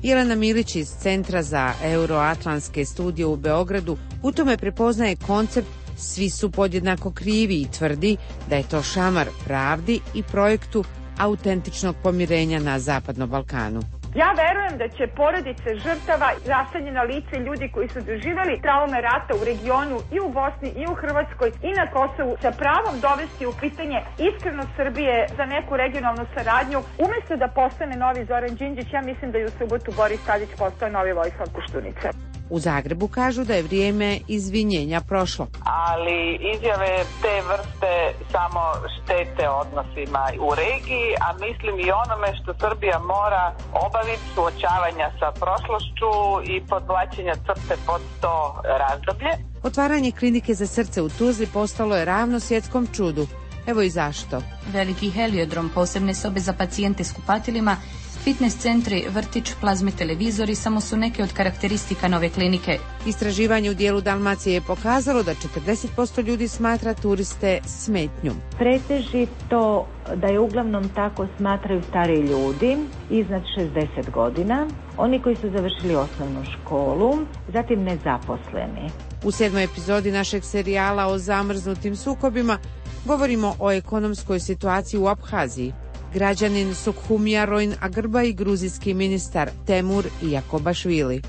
Jelena Milić iz Centra za euroatlantske studije u Beogradu u tome prepoznaje koncept svi su podjednako krivi i tvrdi da je to šamar pravdi i projektu autentičnog pomirenja na Zapadnom Balkanu. Ja verujem da će porodice žrtava, raseljena lice, ljudi koji su doživjeli traume rata u regionu i u Bosni i u Hrvatskoj i na Kosovu sa pravom dovesti u pitanje iskrenost Srbije za neku regionalnu saradnju. Umjesto da postane novi Zoran Đinđić, ja mislim da je u subotu Boris Tadić postao novi Vojislav Koštunica. U Zagrebu kažu da je vrijeme izvinjenja prošlo. Ali izjave te vrste samo štete odnosima u regiji, a mislim i onome što Srbija mora obaviti, suočavanja sa prošlošću i podvlačenja crte pod to razdoblje. Otvaranje klinike za srce u Tuzli postalo je ravno svjetskom čudu. Evo i zašto. Veliki heliodrom, posebne sobe za pacijente s kupatilima, fitness centri, vrtić, plazme televizori samo su neke od karakteristika nove klinike. Istraživanje u dijelu Dalmacije je pokazalo da 40% ljudi smatra turiste smetnjom. Pretežito da je uglavnom tako smatraju stari ljudi iznad 60 godina, oni koji su završili osnovnu školu, zatim nezaposleni. U 7. epizodi našeg serijala o zamrznutim sukobima govorimo o ekonomskoj situaciji u Abhaziji. Građanin Sukhumija Rojn Agrba i gruzijski ministar Temur Jakobašvili.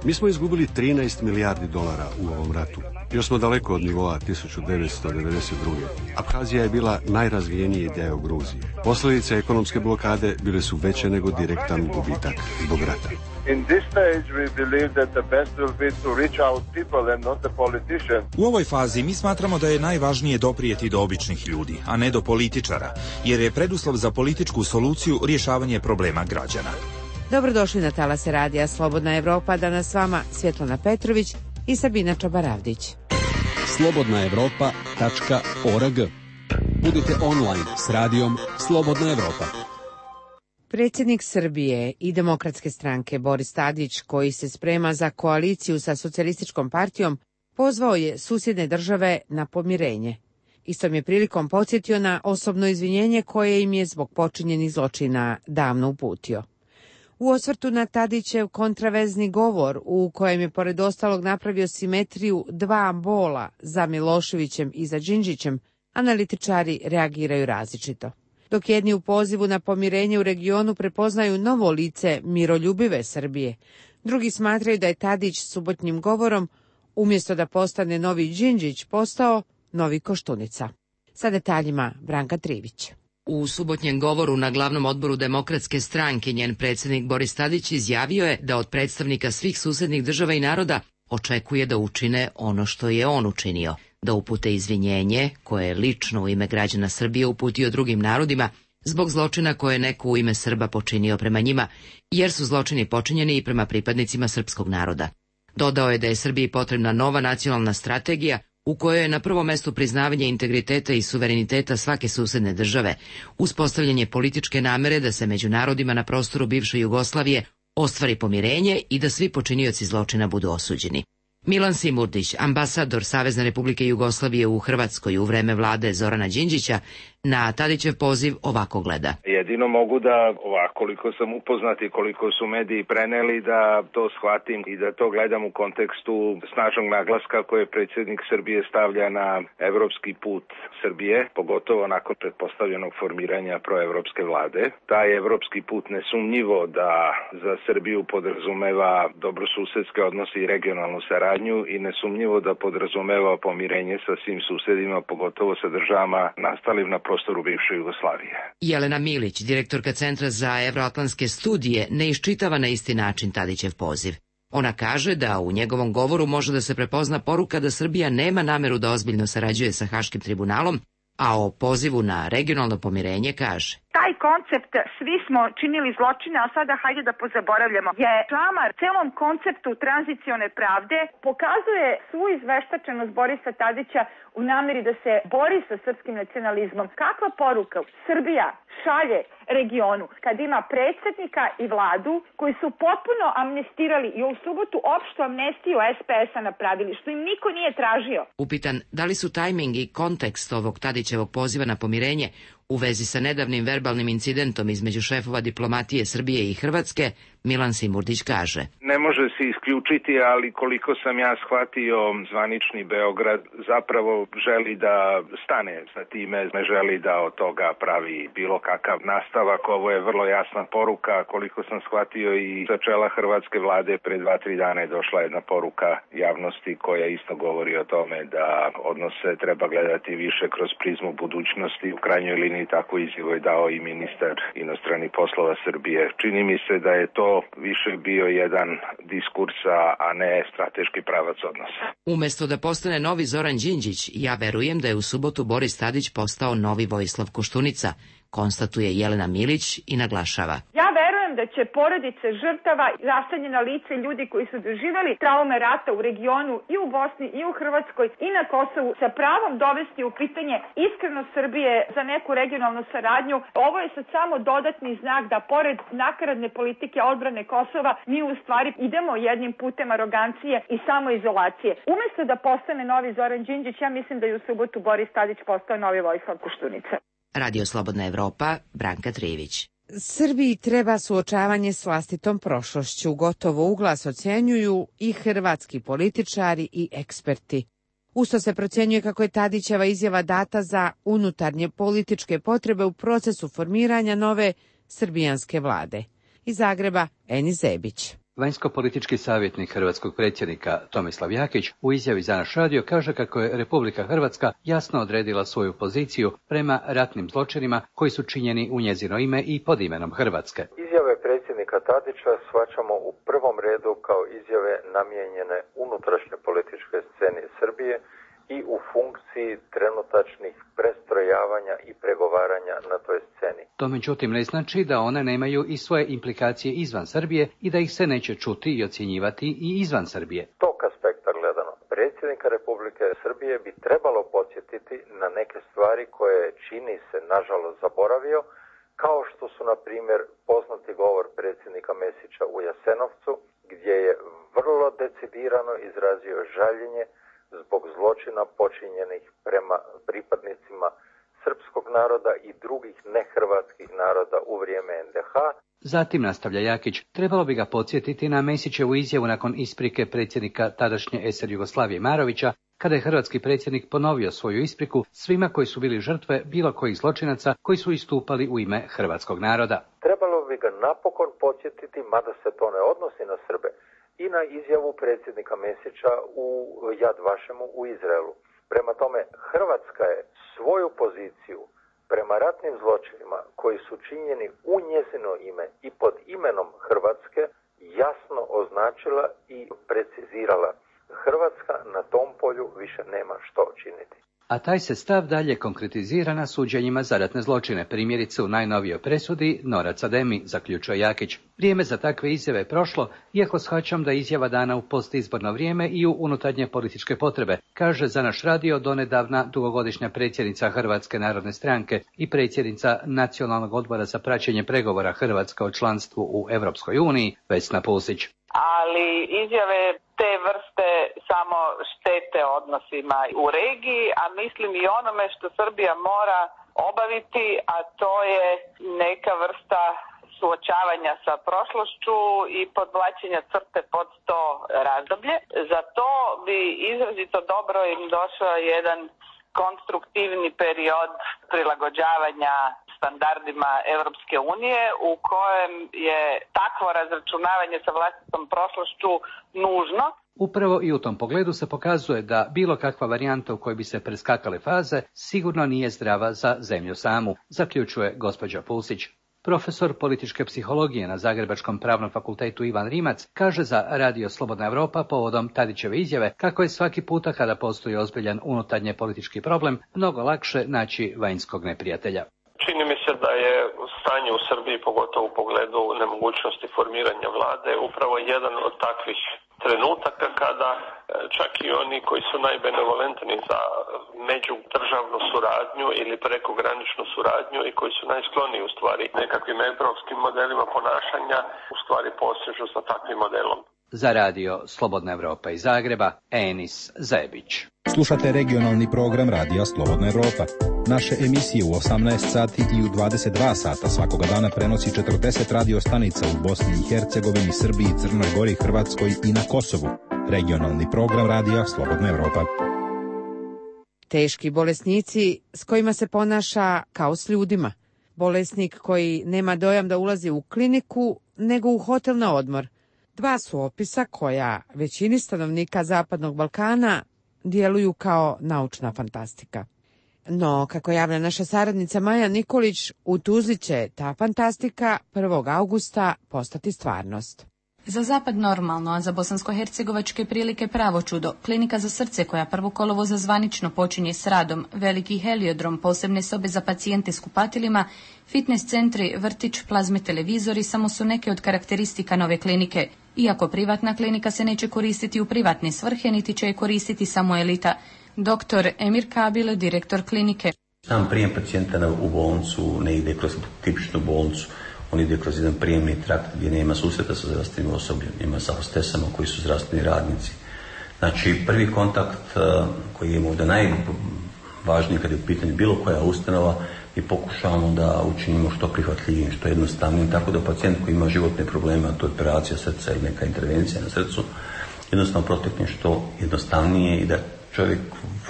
Mi smo izgubili 13 milijardi dolara u ovom ratu. Još smo daleko od nivoa 1992. Abhazija je bila najrazvijeniji deo Gruzije. Posljedice ekonomske blokade bile su veće nego direktan gubitak zbog rata. U ovoj fazi mi smatramo da je najvažnije doprijeti do običnih ljudi, a ne do političara, jer je preduslov za političku soluciju rješavanje problema građana. Dobrodošli na talase radija Slobodna Evropa, danas s vama Svjetlana Petrović i Sabina Čabaravdić. slobodnaevropa.org. Budite online s radijom Slobodna Evropa. Predsjednik Srbije i Demokratske stranke Boris Tadić, koji se sprema za koaliciju sa Socijalističkom partijom, pozvao je susjedne države na pomirenje. Istom je prilikom podsjetio na osobno izvinjenje koje im je zbog počinjenih zločina davno uputio. U osvrtu na Tadićev kontraverzni govor, u kojem je pored ostalog napravio simetriju dva bola za Miloševićem i za Đinđićem, analitičari reagiraju različito. Dok jedni u pozivu na pomirenje u regionu prepoznaju novo lice miroljubive Srbije, drugi smatraju da je Tadić subotnjim govorom, umjesto da postane novi Đinđić, postao novi Koštunica. Sa detaljima Branka Trivić. U subotnjem govoru na glavnom odboru Demokratske stranke njen predsjednik Boris Tadić izjavio je da od predstavnika svih susednih država i naroda očekuje da učine ono što je on učinio, da upute izvinjenje koje je lično u ime građana Srbije uputio drugim narodima zbog zločina koje je neko u ime Srba počinio prema njima, jer su zločini počinjeni i prema pripadnicima srpskog naroda. Dodao je da je Srbiji potrebna nova nacionalna strategija u kojoj je na prvom mestu priznavanje integriteta i suvereniteta svake susedne države, uspostavljanje političke namere da se među narodima na prostoru bivše Jugoslavije ostvari pomirenje i da svi počinioci zločina budu osuđeni. Milan Simurdić, ambasador Savezne Republike Jugoslavije u Hrvatskoj u vreme vlade Zorana Đinđića, na Tadićev poziv ovako gleda. Jedino mogu da, koliko sam upoznat i koliko su mediji preneli, da to shvatim i da to gledam u kontekstu snažnog naglaska koje predsjednik Srbije stavlja na evropski put Srbije, pogotovo nakon pretpostavljenog formiranja proevropske vlade. Taj evropski put nesumnjivo da za Srbiju podrazumeva dobrosusedske odnose i regionalnu saradnju i nesumnjivo da podrazumeva pomirenje sa svim susedima, pogotovo sa državama nastalim na prostoru bivše Jugoslavije. Jelena Milić, direktorka Centra za euroatlantske studije, ne iščitava na isti način Tadićev poziv. Ona kaže da u njegovom govoru može da se prepozna poruka da Srbija nema nameru da ozbiljno sarađuje sa Haškim tribunalom, a o pozivu na regionalno pomirenje kaže: Taj koncept svi smo činili zločine, a sada hajde da pozaboravljamo, je klamar celom konceptu tranzicione pravde, pokazuje svu izveštačenost Borisa Tadića u nameri da se bori sa srpskim nacionalizmom. Kakva poruka Srbija šalje regionu kad ima predsjednika i vladu koji su potpuno amnestirali i u subotu opštu amnestiju SPS-a napravili, što im niko nije tražio. Upitan da li su tajming i kontekst ovog Tadićevog poziva na pomirenje u vezi sa nedavnim verbalnim incidentom između šefova diplomatije Srbije i Hrvatske, Milan Simurdić kaže: Ne može se isključiti, ali koliko sam ja shvatio, zvanični Beograd zapravo želi da stane sa time, ne želi da od toga pravi bilo kakav nastavak. Ovo je vrlo jasna poruka, koliko sam shvatio i sa čela hrvatske vlade pre 2-3 dana je došla jedna poruka javnosti koja isto govori o tome da odnose treba gledati više kroz prizmu budućnosti. U krajnjoj liniji tako izjavu je dao i ministar inostranih poslova Srbije. Čini mi se da je to više bio jedan diskurs, a ne strateški pravac odnosa. Umesto da postane novi Zoran Đinđić, ja verujem da je u subotu Boris Tadić postao novi Vojislav Koštunica, konstatuje Jelena Milić i naglašava: Ja verujem da će porodice žrtava, raseljena lica i ljudi koji su doživjeli traume rata u regionu i u Bosni i u Hrvatskoj i na Kosovu sa pravom dovesti u pitanje iskrenost Srbije za neku regionalnu saradnju. Ovo je sad samo dodatni znak da pored nakaradne politike odbrane Kosova mi u stvari idemo jednim putem arogancije i samoizolacije. Umesto da postane novi Zoran Đinđić, ja mislim da je u subotu Boris Tadić postao novi Vojislav Koštunica. Radio Slobodna Evropa, Branka Trivić. Srbiji treba suočavanje s vlastitom prošlošću, gotovo uglas ocjenjuju i hrvatski političari i eksperti. Usto se procjenjuje kako je Tadićeva izjava data za unutarnje političke potrebe u procesu formiranja nove srbijanske vlade. Iz Zagreba, Eni Zebić. Vanjsko-politički savjetnik hrvatskog predsjednika Tomislav Jakić u izjavi za naš radio kaže kako je Republika Hrvatska jasno odredila svoju poziciju prema ratnim zločinima koji su činjeni u njezino ime i pod imenom Hrvatske. Izjave predsjednika Tadića shvaćamo u prvom redu kao izjave namijenjene unutrašnje političke sceni Srbije i u funkciji trenutačnih prestrojavanja i pregovaranja na toj sceni. To međutim ne znači da one nemaju i svoje implikacije izvan Srbije i da ih se neće čuti i ocjenjivati i izvan Srbije. Tog aspekta gledano, predsjednika Republike Srbije bi trebalo podsjetiti na neke stvari koje čini se nažalost zaboravio, kao što su na primjer poznati govor predsjednika Mesića u Jasenovcu, gdje je vrlo decidirano izrazio žaljenje zbog zločina počinjenih prema pripadnicima srpskog naroda i drugih nehrvatskih naroda u vrijeme NDH. Zatim, nastavlja Jakić, trebalo bi ga podsjetiti na Mesićevu izjavu nakon isprike predsjednika tadašnje SR Jugoslavije Marovića, kada je hrvatski predsjednik ponovio svoju ispriku svima koji su bili žrtve bilo kojih zločinaca koji su istupali u ime hrvatskog naroda. Trebalo bi ga napokon podsjetiti, mada se to ne odnosi na Srbe, i na izjavu predsjednika Mesića u Yad Vašemu u Izraelu. Prema tome, Hrvatska je svoju poziciju prema ratnim zločinima koji su činjeni u njezino ime i pod imenom Hrvatske jasno označila i precizirala. Hrvatska na tom polju više nema što činiti. A taj se stav dalje konkretizira na suđenjima za ratne zločine, primjerice u najnovijoj presudi Norac Ademi, zaključuje Jakić. Vrijeme za takve izjave je prošlo, iako shvaćam da je izjava dana u postizborno vrijeme i u unutarnje političke potrebe, kaže za naš radio donedavna dugogodišnja predsjednica Hrvatske narodne stranke i predsjednica Nacionalnog odbora za praćenje pregovora Hrvatske o članstvu u Europskoj uniji, Vesna Pusić. Ali izjave te vrste samo štete odnosima u regiji, a mislim i onome što Srbija mora obaviti, a to je neka vrsta suočavanja sa prošlošću i podvlačenja crte pod to razdoblje. Za to bi izrazito dobro im došao jedan konstruktivni period prilagođavanja standardima Europske unije u kojem je takvo razračunavanje sa vlastitom prošlošću nužno. Upravo i u tom pogledu se pokazuje da bilo kakva varijanta u kojoj bi se preskakale faze sigurno nije zdrava za zemlju samu, zaključuje gospođa Pusić. Profesor političke psihologije na Zagrebačkom pravnom fakultetu Ivan Rimac kaže za Radio Slobodna Evropa povodom Tadićeve izjave kako je svaki puta kada postoji ozbiljan unutarnje politički problem mnogo lakše naći vanjskog neprijatelja. Čini mi se da je stanje u Srbiji, pogotovo u pogledu nemogućnosti formiranja vlade, upravo jedan od takvih trenutaka kada čak i oni koji su najbenevolentni za međudržavnu suradnju ili prekograničnu suradnju i koji su najskloniji u stvari nekakvim evropskim modelima ponašanja, u stvari posežu za takvim modelom. Za radio Slobodna Evropa iz Zagreba, Enis Zebić. Slušate regionalni program Radija Slobodna Evropa. Naše emisije u 18 sati i u 22 sata svakoga dana prenosi 40 radio stanica u Bosni i Hercegovini, Srbiji, Crnoj Gori, Hrvatskoj i na Kosovu. Regionalni program Radija Slobodna Evropa. Teški bolesnici s kojima se ponaša kao s ljudima. Bolesnik koji nema dojam da ulazi u kliniku, nego u hotel na odmor. Dva su opisa koja većini stanovnika Zapadnog Balkana djeluju kao naučna fantastika. No, kako javlja naša saradnica Maja Nikolić, u Tuzli će ta fantastika 1. augusta postati stvarnost. Za zapad normalno, a za bosansko-hercegovačke prilike pravo čudo. Klinika za srce koja 1. kolovoza zvanično počinje s radom, veliki heliodrom, posebne sobe za pacijente s kupatilima, fitness centri, vrtić, plazme televizori samo su neke od karakteristika nove klinike. Iako privatna klinika se neće koristiti u privatne svrhe, niti će je koristiti samo elita. Dr. Emir Kabil, direktor klinike. Sam prijem pacijenta u bolnicu ne ide kroz tipičnu bolnicu. On ide kroz jedan prijemni trakt gdje nema susreta sa zdravstvenim osobljem, ima sa hostesama koji su zdravstveni radnici. Znači, prvi kontakt koji je ovdje najvažniji kad je u pitanju bilo koja ustanova, i pokušavamo da učinimo što prihvatljivim, što jednostavnijim, tako da pacijent koji ima životne probleme, a to je operacija srca ili neka intervencija na srcu, jednostavno protekne što jednostavnije i da čovjek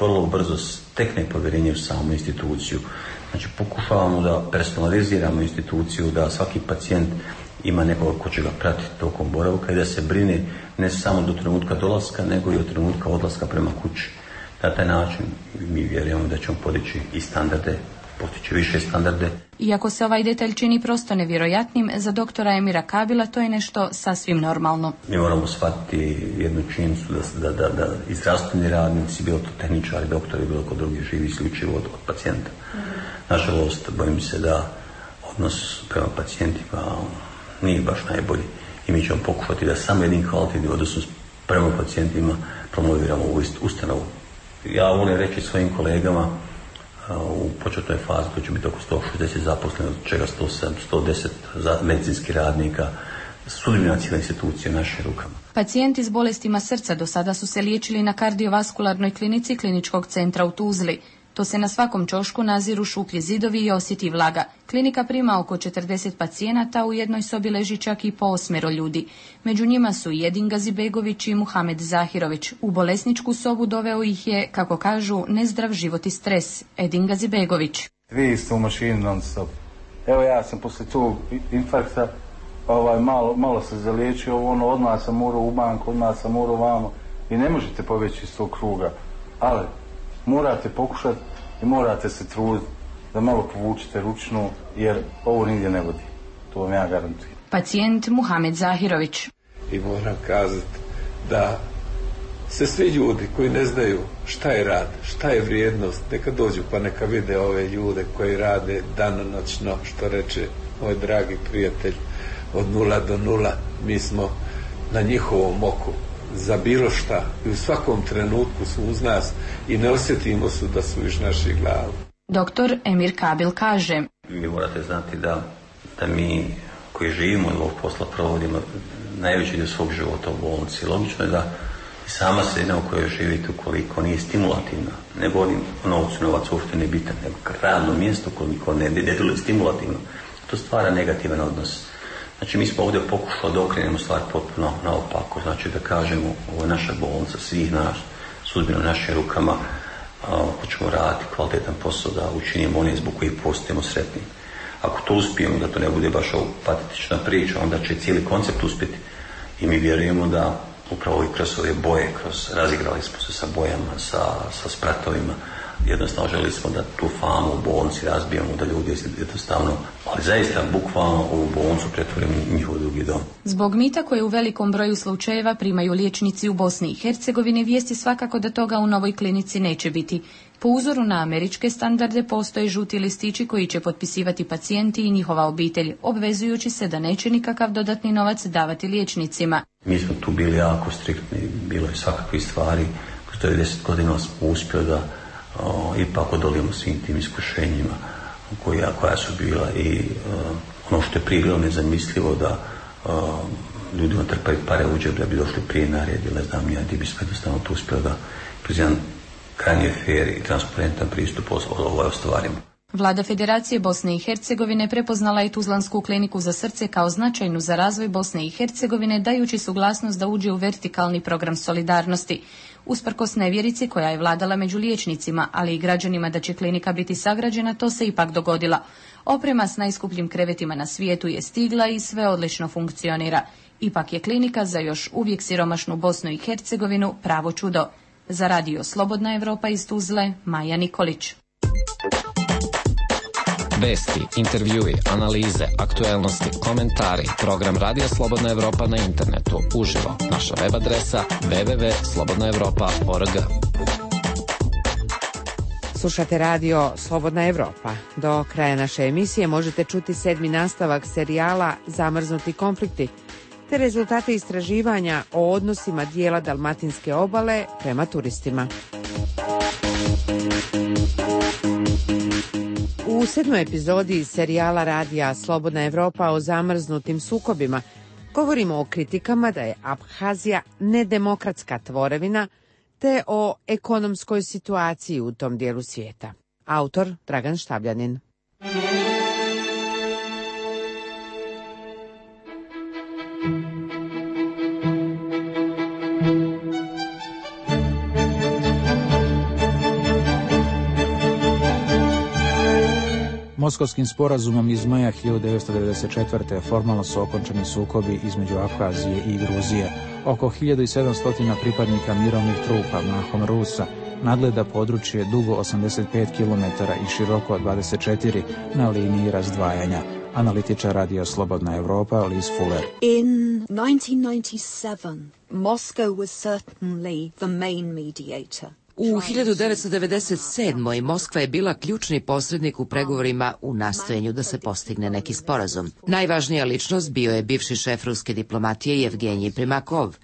vrlo brzo stekne povjerenje u samu instituciju. Znači, pokušavamo da personaliziramo instituciju, da svaki pacijent ima nekoga ko će ga pratiti tokom boravka i da se brine ne samo do trenutka dolaska, nego i od trenutka odlaska prema kući. Na taj način mi vjerujemo da ćemo podići i standarde, postići više standarde. Iako se ovaj detalj čini prosto nevjerojatnim, za doktora Emira Kabila to je nešto sasvim normalno. Mi moramo shvatiti jednu činjenicu da i zdravstveni radnici, bilo to tehničari, doktori, bilo ko drugi, živi isključivo od pacijenta. Nažalost, bojim se da odnos prema pacijentima nije baš najbolji i mi ćemo pokušati da samo jednim kvalitetnim odnosom prema pacijentima promoviramo ovu ustanovu. Ja volim reći svojim kolegama, u početnoj fazi to će biti oko 160 zaposlenih, od čega 110 medicinskih radnika, sudbina cijela institucija u našim rukama. Pacijenti s bolestima srca do sada su se liječili na kardiovaskularnoj klinici Kliničkog centra u Tuzli. To se na svakom ćošku naziru šuplji zidovi i osjeti vlaga. Klinika prima oko 40 pacijenata, u jednoj sobi leži čak i po 8 ljudi. Među njima su i Edin Gazibegović i Muhamed Zahirović. U bolesničku sobu doveo ih je, kako kažu, nezdrav život i stres. Edin Gazibegović. Vi ste u mašini non stop. Evo ja sam poslije tog infarkta malo se zaliječio, odmah sam morao u banku, odmah sam morao vamo i ne možete pobjeći iz tog kruga. Ali morate pokušati i morate se truditi da malo povučete ručnu, jer ovo nigdje ne vodi. To vam ja garantujem. Pacijent Muhamed Zahirović. I moram kazati da se svi ljudi koji ne znaju šta je rad, šta je vrijednost, neka dođu pa neka vide ove ljude koji rade danonoćno, što reče moj dragi prijatelj, od 0 do 0. Mi smo na njihovom oku za bilo šta i u svakom trenutku su uz nas i ne osjetimo su da su iz naših glava. Doktor Emir Kabil kaže: Vi morate znati da mi koji živimo i ovog posla provodimo najveći dio svog života u bolnici. Logično je da i sama sredina u kojoj živite, ukoliko nije stimulativna, ne govorim o novcu, novac uopšte ne bitan, nego radno mjesto koliko ne djeluje stimulativno, to stvara negativan odnos. Znači, mi smo ovdje pokušali da okrenemo stvar potpuno naopako, znači da kažemo, ovo je naša bolnica, svih nas, sudbina u našim rukama, hoćemo raditi kvalitetan posao, da učinimo one zbog kojih postajemo sretni. Ako to uspijemo, da to ne bude baš ovo patetična priča, onda će cijeli koncept uspjeti. I mi vjerujemo da upravo i kroz ove boje, razigrali smo se sa bojama, sa spratovima, jednostavno želi smo da tu famu u bolnici razbijamo, da ljudi jednostavno, ali zaista bukvalno u bolnicu pretvorimo njihov drugi dom. Zbog mita koje u velikom broju slučajeva primaju liječnici u Bosni i Hercegovini, vijesti svakako da toga u novoj klinici neće biti. Po uzoru na američke standarde postoje žuti listići koji će potpisivati pacijenti i njihova obitelj, obvezujući se da neće nikakav dodatni novac davati liječnicima. Mi smo tu bili jako striktni, bilo je svakakvih stvari, kroz 90 godina smo uspjeli da ipak odolimo svim tim iskušenjima koja su bila i ono što je prije bilo nezamislivo da ljudima trpaju pare u džep da bi došli prije na red, ili ne znam ja, gdje bi sve jednostavno to uspjeli da kroz jedan krajnji fair i transparentan pristup ovoj ostvarimo. Vlada Federacije Bosne i Hercegovine prepoznala je Tuzlansku kliniku za srce kao značajnu za razvoj Bosne i Hercegovine, dajući suglasnost da uđe u vertikalni program solidarnosti. Usprkos nevjerici koja je vladala među liječnicima, ali i građanima da će klinika biti sagrađena, to se ipak dogodila. Oprema s najskupljim krevetima na svijetu je stigla i sve odlično funkcionira. Ipak je klinika za još uvijek siromašnu Bosnu i Hercegovinu pravo čudo. Za radio Slobodna Evropa iz Tuzle, Maja Nikolić. Vesti, intervjui, analize, aktuelnosti, komentari, program Radio Slobodna Evropa na internetu, uživo, naša web adresa www.slobodnaevropa.org. Slušate radio Slobodna Evropa. Do kraja naše emisije možete čuti 7. nastavak serijala Zamrznuti konflikti, te rezultate istraživanja o odnosima dijela Dalmatinske obale prema turistima. U 7. epizodi serijala radija Slobodna Evropa o zamrznutim sukobima govorimo o kritikama da je Abhazija nedemokratska tvorevina te o ekonomskoj situaciji u tom dijelu svijeta. Autor Dragan Štabljanin. Moskovskim sporazumom iz maja 1994. formalno su okončani sukobi između Abhazije i Gruzije. Oko 1700 pripadnika mirovnih trupa, mahom Rusa, nadgleda područje dugo 85 km i široko 24 na liniji razdvajanja. Analitičar Radio Slobodna Evropa Liz Fuller. In 1997, Moscow was certainly the main mediator. U 1997. Moskva je bila ključni posrednik u pregovorima u nastojenju da se postigne neki sporazum. Najvažnija ličnost bio je bivši šef ruske diplomatije Jevgenij Primakov.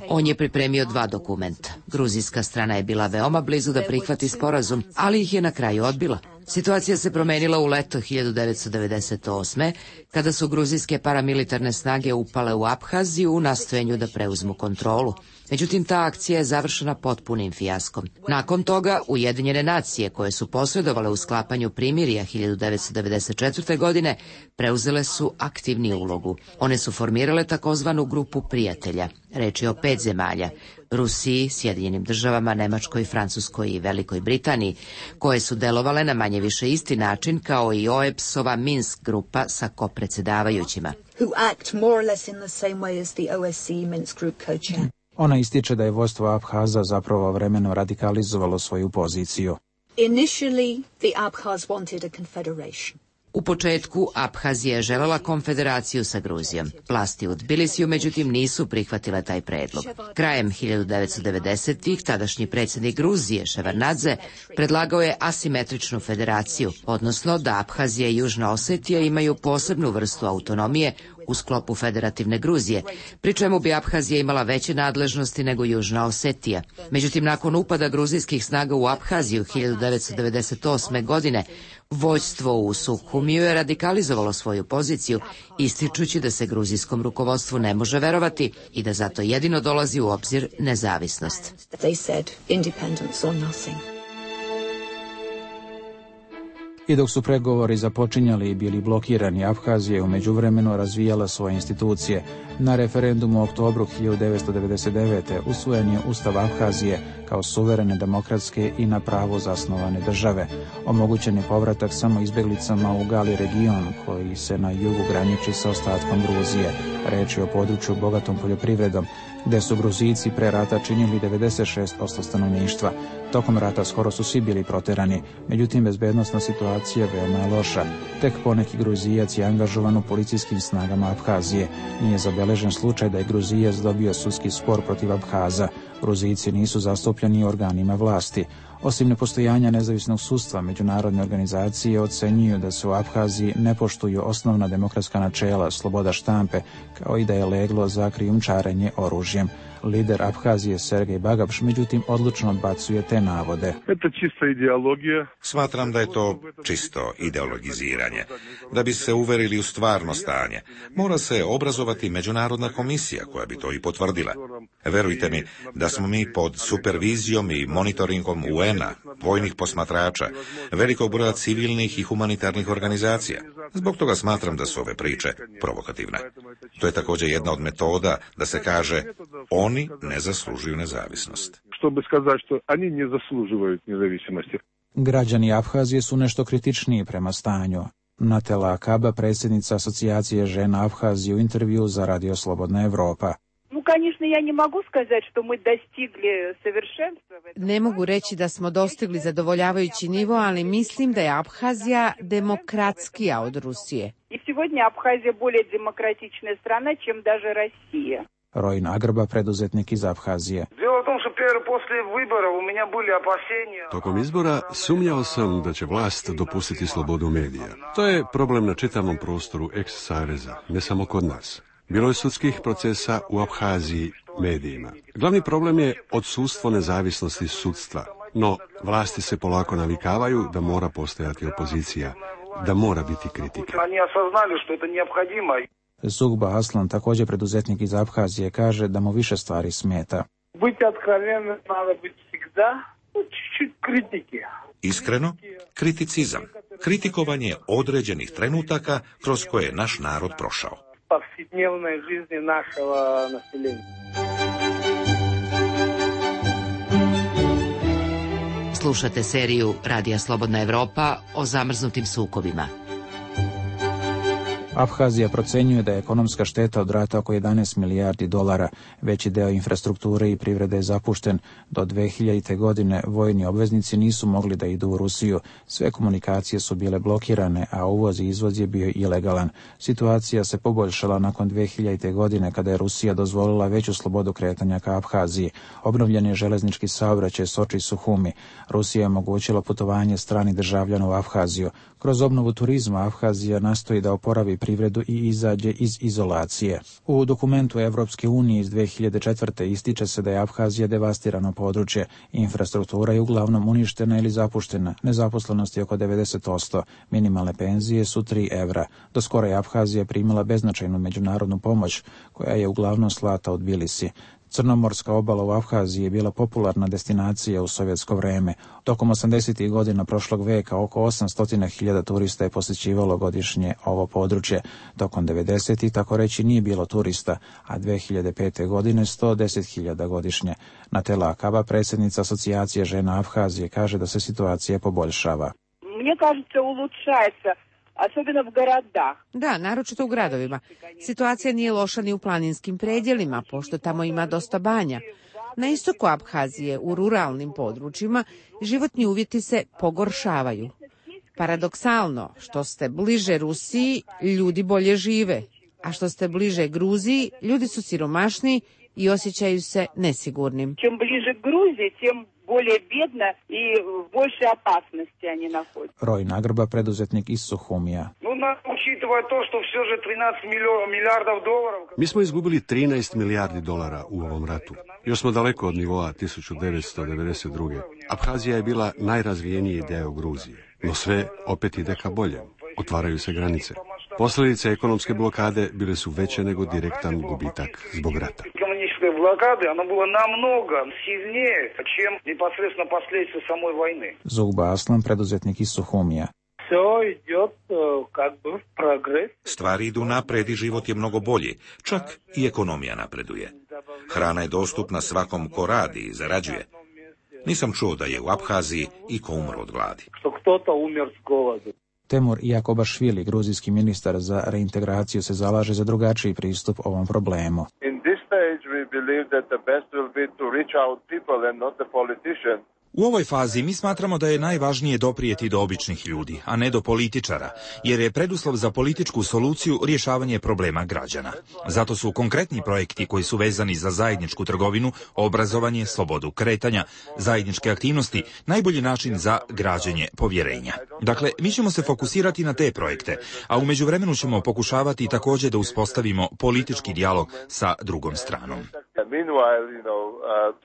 On je pripremio 2 dokumenta. Gruzijska strana je bila veoma blizu da prihvati sporazum, ali ih je na kraju odbila. Situacija se promenila u leto 1998. kada su gruzijske paramilitarne snage upale u Abhaziju u nastojenju da preuzmu kontrolu. Međutim, ta akcija je završena potpunim fijaskom. Nakon toga, Ujedinjene nacije, koje su posredovale u sklapanju primirja 1994. godine, preuzele su aktivniju ulogu. One su formirale takozvanu grupu prijatelja. Reč je o 5 zemalja, Rusiji, Sjedinjenim državama, Nemačkoj, Francuskoj i Velikoj Britaniji, koje su delovale na manje više isti način kao i OEBS-ova Minsk grupa sa kopredsjedavajućima. Ona ističe da je vodstvo Abhaza zapravo vremeno radikalizovalo svoju poziciju. Initially, the Abkhaz wanted a confederation. U početku Abhazija je željela konfederaciju sa Gruzijom. Vlasti u Tbilisiju međutim nisu prihvatile taj predlog. Krajem 1990-ih tadašnji predsjednik Gruzije Ševarnadze predlagao je asimetričnu federaciju, odnosno da Abhazija i Južna Osetija imaju posebnu vrstu autonomije u sklopu federativne Gruzije, pri čemu bi Abhazija imala veće nadležnosti nego Južna Osetija. Međutim, nakon upada gruzijskih snaga u Abhaziju 1998. godine, vođstvo u Sukhumiju je radikalizovalo svoju poziciju, ističući da se gruzijskom rukovodstvu ne može verovati i da zato jedino dolazi u obzir nezavisnost. I dok su pregovori započinjali i bili blokirani, Abhazija je u međuvremenu razvijala svoje institucije. Na referendumu u oktobru 1999. usvojen je Ustav Abhazije kao suverene, demokratske i na pravu zasnovane države. Omogućen je povratak samo izbjeglicama u Gali region, koji se na jugu graniči sa ostatkom Gruzije. Reč je o području bogatom poljoprivredom, gde su Gruzijci pre rata činili 96% stanovništva. Tokom rata skoro su svi bili proterani, međutim bezbednosna situacija veoma je loša. Tek poneki Gruzijac je angažovan u policijskim snagama Abhazije. Nije zabeležen slučaj da je Gruzijac dobio sudski spor protiv Abhaza. Gruzijci nisu zastupljeni organima vlasti. Osim nepostojanja nezavisnog sudstva, međunarodne organizacije ocenjuju da se u Abhaziji ne poštuju osnovna demokratska načela, sloboda štampe, kao i da je leglo za krijumčarenje oružjem. Lider Abhazije Sergej Bagapš međutim odlučno odbacuje te navode. Smatram da je to čisto ideologiziranje. Da bi se uverili u stvarno stanje, mora se obrazovati međunarodna komisija koja bi to i potvrdila. Verujte mi da smo mi pod supervizijom i monitoringom UN-a, vojnih posmatrača, velikog broja civilnih i humanitarnih organizacija. Zbog toga smatram da su ove priče provokativne. To je također jedna od metoda da se kaže oni ne zaslužuju nezavisnost. Građani Abhazije su nešto kritičniji prema stanju. Natela Akaba, predsjednica Asocijacije žena Abhazije, u intervju za Radio Slobodna Evropa. Ne mogu reći da smo dostigli zadovoljavajući nivo, ali mislim da je Abhazija demokratskija od Rusije. Rojin Agrba, preduzetnik iz Abhazije. Tokom izbora sumnjao sam da će vlast dopustiti slobodu medija. To je problem na čitavom prostoru ex-saveza, ne samo kod nas. Bilo je sudskih procesa u Abhaziji medijima. Glavni problem je odsustvo nezavisnosti sudstva, no vlasti se polako navikavaju da mora postojati opozicija, da mora biti kritika. Zugba Aslan, također preduzetnik iz Abhazije, kaže da mu više stvari smeta. Iskreno, kriticizam, kritikovanje određenih trenutaka kroz koje je naš narod prošao. Slušate seriju Radija Slobodna Evropa o zamrznutim sukobima. Abhazija procenjuje da je ekonomska šteta od rata oko 11 milijardi dolara. Veći deo infrastrukture i privrede je zapušten. Do 2000. godine vojni obveznici nisu mogli da idu u Rusiju. Sve komunikacije su bile blokirane, a uvoz i izvoz je bio ilegalan. Situacija se poboljšala nakon 2000. godine kada je Rusija dozvolila veću slobodu kretanja ka Abhaziji. Obnovljen je železnički saobraćaj Soči-Suhumi. Rusija je omogućila putovanje stranih državljana u Abhaziju. Kroz obnovu turizma Abhazija nastoji da oporavi privredu i izađe iz izolacije. U dokumentu Evropske unije iz 2004. ističe se da je Abhazija devastirano područje. Infrastruktura je uglavnom uništena ili zapuštena. Nezaposlenost je oko 90%. Minimalne penzije su 3 evra. Do skoro je Abhazija primila beznačajnu međunarodnu pomoć, koja je uglavnom slata od Tbilisi. Crnomorska obala u Abhaziji je bila popularna destinacija u sovjetsko vreme. Tokom 80. godina prošlog veka oko 800.000 turista je posjećivalo godišnje ovo područje. Tokom 90. tako reći nije bilo turista, a 2005. godine 110.000 godišnje. Natela Akaba, predsjednica Asocijacije žena Abhazije, kaže da se situacija poboljšava. Мне кажется, улучшается. Особенно в городах. Da, naročito u gradovima. Situacija nije loša ni u planinskim predjelima, pošto tamo ima dosta banja. Na istoku Abhazije, u ruralnim područjima, životni uvjeti se pogoršavaju. Paradoksalno, što ste bliže Rusiji, ljudi bolje žive, a što ste bliže Gruziji, ljudi su siromašniji i osjećaju se nesigurnim. Čim bliže Gruziji, tim bolje bjedna i больше опасности они находят. Roj Nagrba, preduzetnik iz Suhumija. Mi smo izgubili 13 milijardi dolara u ovom ratu. Još smo daleko od nivoa 1992. Abhazija je bila najrazvijeniji deo Gruzije, no sve opet ide ka bolje. Otvaraju se granice. Posljedice ekonomske blokade bile su veće nego direktan gubitak zbog rata. Блокады, оно было намного сильнее, чем непосредственно последствия самой войны. Zugba Aslan, preduzetnik iz Suhumija. Stvari idu napred i život je mnogo bolji, čak i ekonomija napreduje. Hrana je dostupna svakom ko radi i zarađuje. Nisam čuo da je u Abhaziji iko umro od gladi. Temur Jakobašvili, gruzijski ministar za reintegraciju, se zalaže za drugačiji pristup ovom problemu. U ovoj fazi mi smatramo da je najvažnije doprijeti do običnih ljudi, a ne do političara, jer je preduslov za političku soluciju rješavanje problema građana. Zato su konkretni projekti koji su vezani za zajedničku trgovinu, obrazovanje, slobodu kretanja, zajedničke aktivnosti, najbolji način za građenje povjerenja. Dakle, mi ćemo se fokusirati na te projekte, a u međuvremenu ćemo pokušavati također da uspostavimo politički dijalog sa drugom stranom.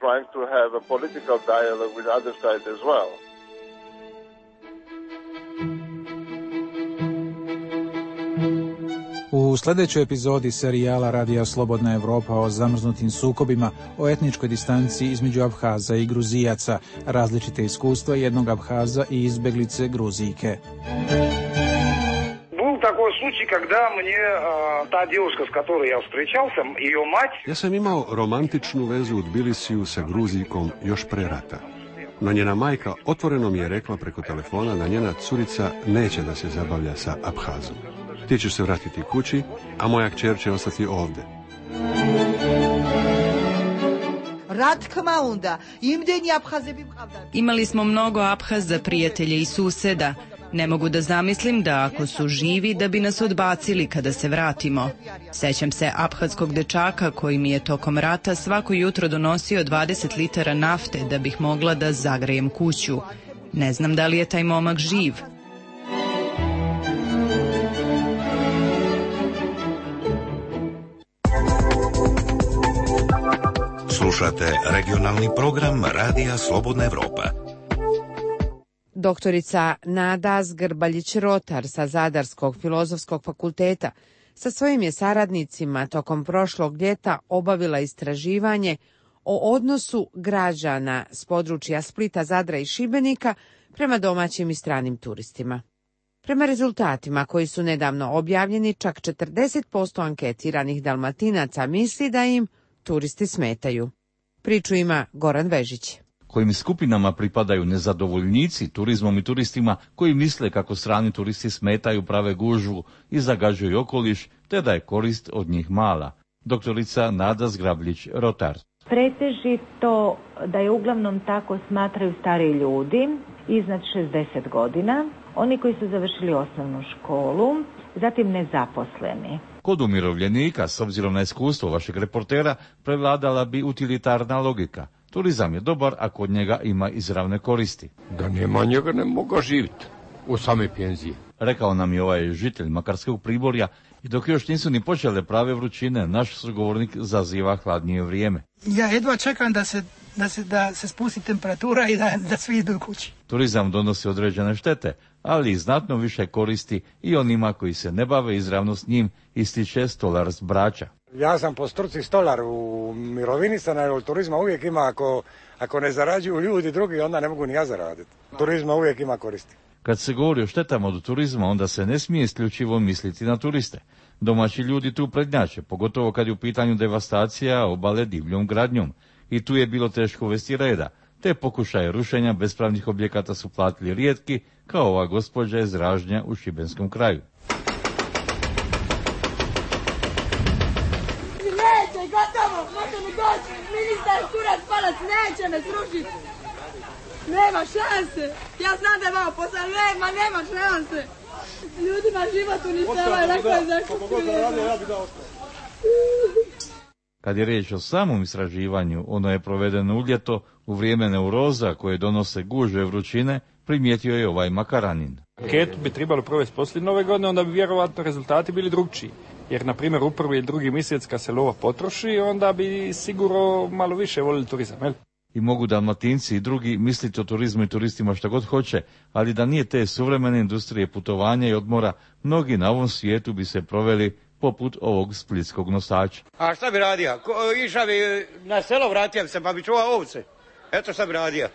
Trying to have a political dialogue with other side as well. U sljedećoj epizodi serijala Radija Slobodna Evropa o zamrznutim sukobima, o etničkoj distanci između Abhaza i Gruzijaca, različite iskustva jednog Abhaza i izbjeglice Gruzijke. Такой случай, когда мне та девушка, с которой я встречался, ее мать... Ja sam imao romantičnu vezu u Tbilisiju sa Gruzijkom još pre rata. No njena majka otvoreno mi je rekla preko telefona da njena curica neće da se zabavlja sa Abhazom. Ti ćeš se vratiti kući, a moja kćer će ostati ovde. Imali smo mnogo Abhaza, prijatelje i suseda. Ne mogu da zamislim da ako su živi da bi nas odbacili kada se vratimo. Sećam se abhazskog dečaka koji mi je tokom rata svako jutro donosio 20 litara nafte da bih mogla da zagrejem kuću. Ne znam da li je taj momak živ. Slušate regionalni program Radija Slobodna Evropa. Doktorica Nada Zgrbaljić-Rotar sa Zadarskog filozofskog fakulteta sa svojim je saradnicima tokom prošlog ljeta obavila istraživanje o odnosu građana s područja Splita, Zadra i Šibenika prema domaćim i stranim turistima. Prema rezultatima koji su nedavno objavljeni, čak 40% anketiranih Dalmatinaca misli da im turisti smetaju. Priču ima Goran Vežić. Kojim skupinama pripadaju nezadovoljnici turizmom i turistima koji misle kako strani turisti smetaju, prave gužvu i zagađuju okoliš, te da je korist od njih mala. Doktorica Nada Zgrabljić-Rotar. Pretežito da je uglavnom tako smatraju stari ljudi iznad 60 godina, oni koji su završili osnovnu školu, zatim nezaposleni. Kod umirovljenika, s obzirom na iskustvo vašeg reportera, prevladala bi utilitarna logika. Turizam je dobar ako od njega ima izravne koristi. Da nema njega ne mogu živjeti u same penzije. Rekao nam je ovaj žitelj Makarskog Priborja, i dok još nisu ni počele prave vrućine, naš sugovornik zaziva hladnije vrijeme. Ja jedva čekam da se spusti temperatura i da svi idu kući. Turizam donosi određene štete, ali i znatno više koristi i onima koji se ne bave izravno s njim, ističe stolar s Brača. Ja sam po struci stolar, u mirovini sam, ali od turizma uvijek ima, ako ne zarađuju ljudi drugi, onda ne mogu ni ja zaraditi. Turizma uvijek ima koristi. Kad se govori o štetama od turizma, onda se ne smije isključivo misliti na turiste. Domaći ljudi tu prednjače, pogotovo kad je u pitanju devastacija obale divljom gradnjom. I tu je bilo teško uvesti reda. Te pokušaje rušenja bespravnih objekata su platili rijetki, kao ova gospođa iz Ražnja u Šibenskom kraju. Neće, gotovo, može mi doći, ministar Kurac Palac neće me srušiti. Nema šanse, ja znam da je vama posao, nema šanse. Ljudima život uništavaju, lako je zakušiti. Kad je riječ o samom istraživanju, ono je provedeno u ljeto, u vrijeme neuroza koje donose gužve vrućine, primijetio je ovaj Makaranin. Anketu bi trebalo provesti poslije nove godine, onda bi vjerovatno rezultati bili drugčiji. Jer, na primjer, u prvi i drugi mjesec kad se lova potroši, onda bi sigurno malo više volili turizam, jel? I mogu Dalmatinci i drugi misliti o turizmu i turistima što god hoće, ali da nije te suvremene industrije putovanja i odmora, mnogi na ovom svijetu bi se proveli poput ovog splitskog nosača. A šta bi radio? Išao bi na selo, vratio bi se pa bi čuvao ovce. Eto šta bi radio.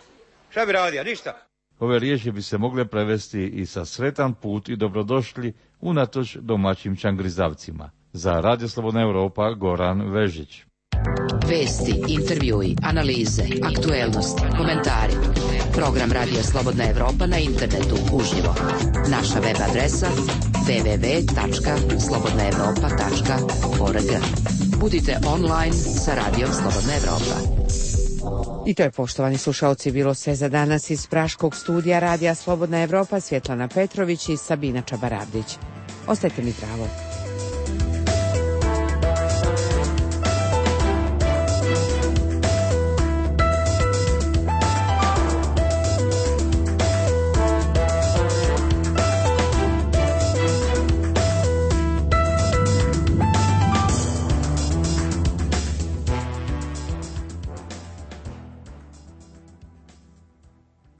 Šta bi radio? Ništa. Ove riječi bi se mogle prevesti i sa sretan put i dobrodošli unatoč domaćim čangrizavcima. Za Radio Slobodna Evropa, Goran Vežić. Vesti, intervjui, analize, aktuelnosti, komentari. Program Radija Slobodna Evropa na internetu uživo. Naša web adresa www.slobodnaevropa.org. Budite online sa Radijom Slobodna Evropa. I to je, poštovani slušalci, bilo sve za danas iz praškog studija Radija Slobodna Evropa. Svjetlana Petrović i Sabina Čabaravdić. Ostajte mi zdravo.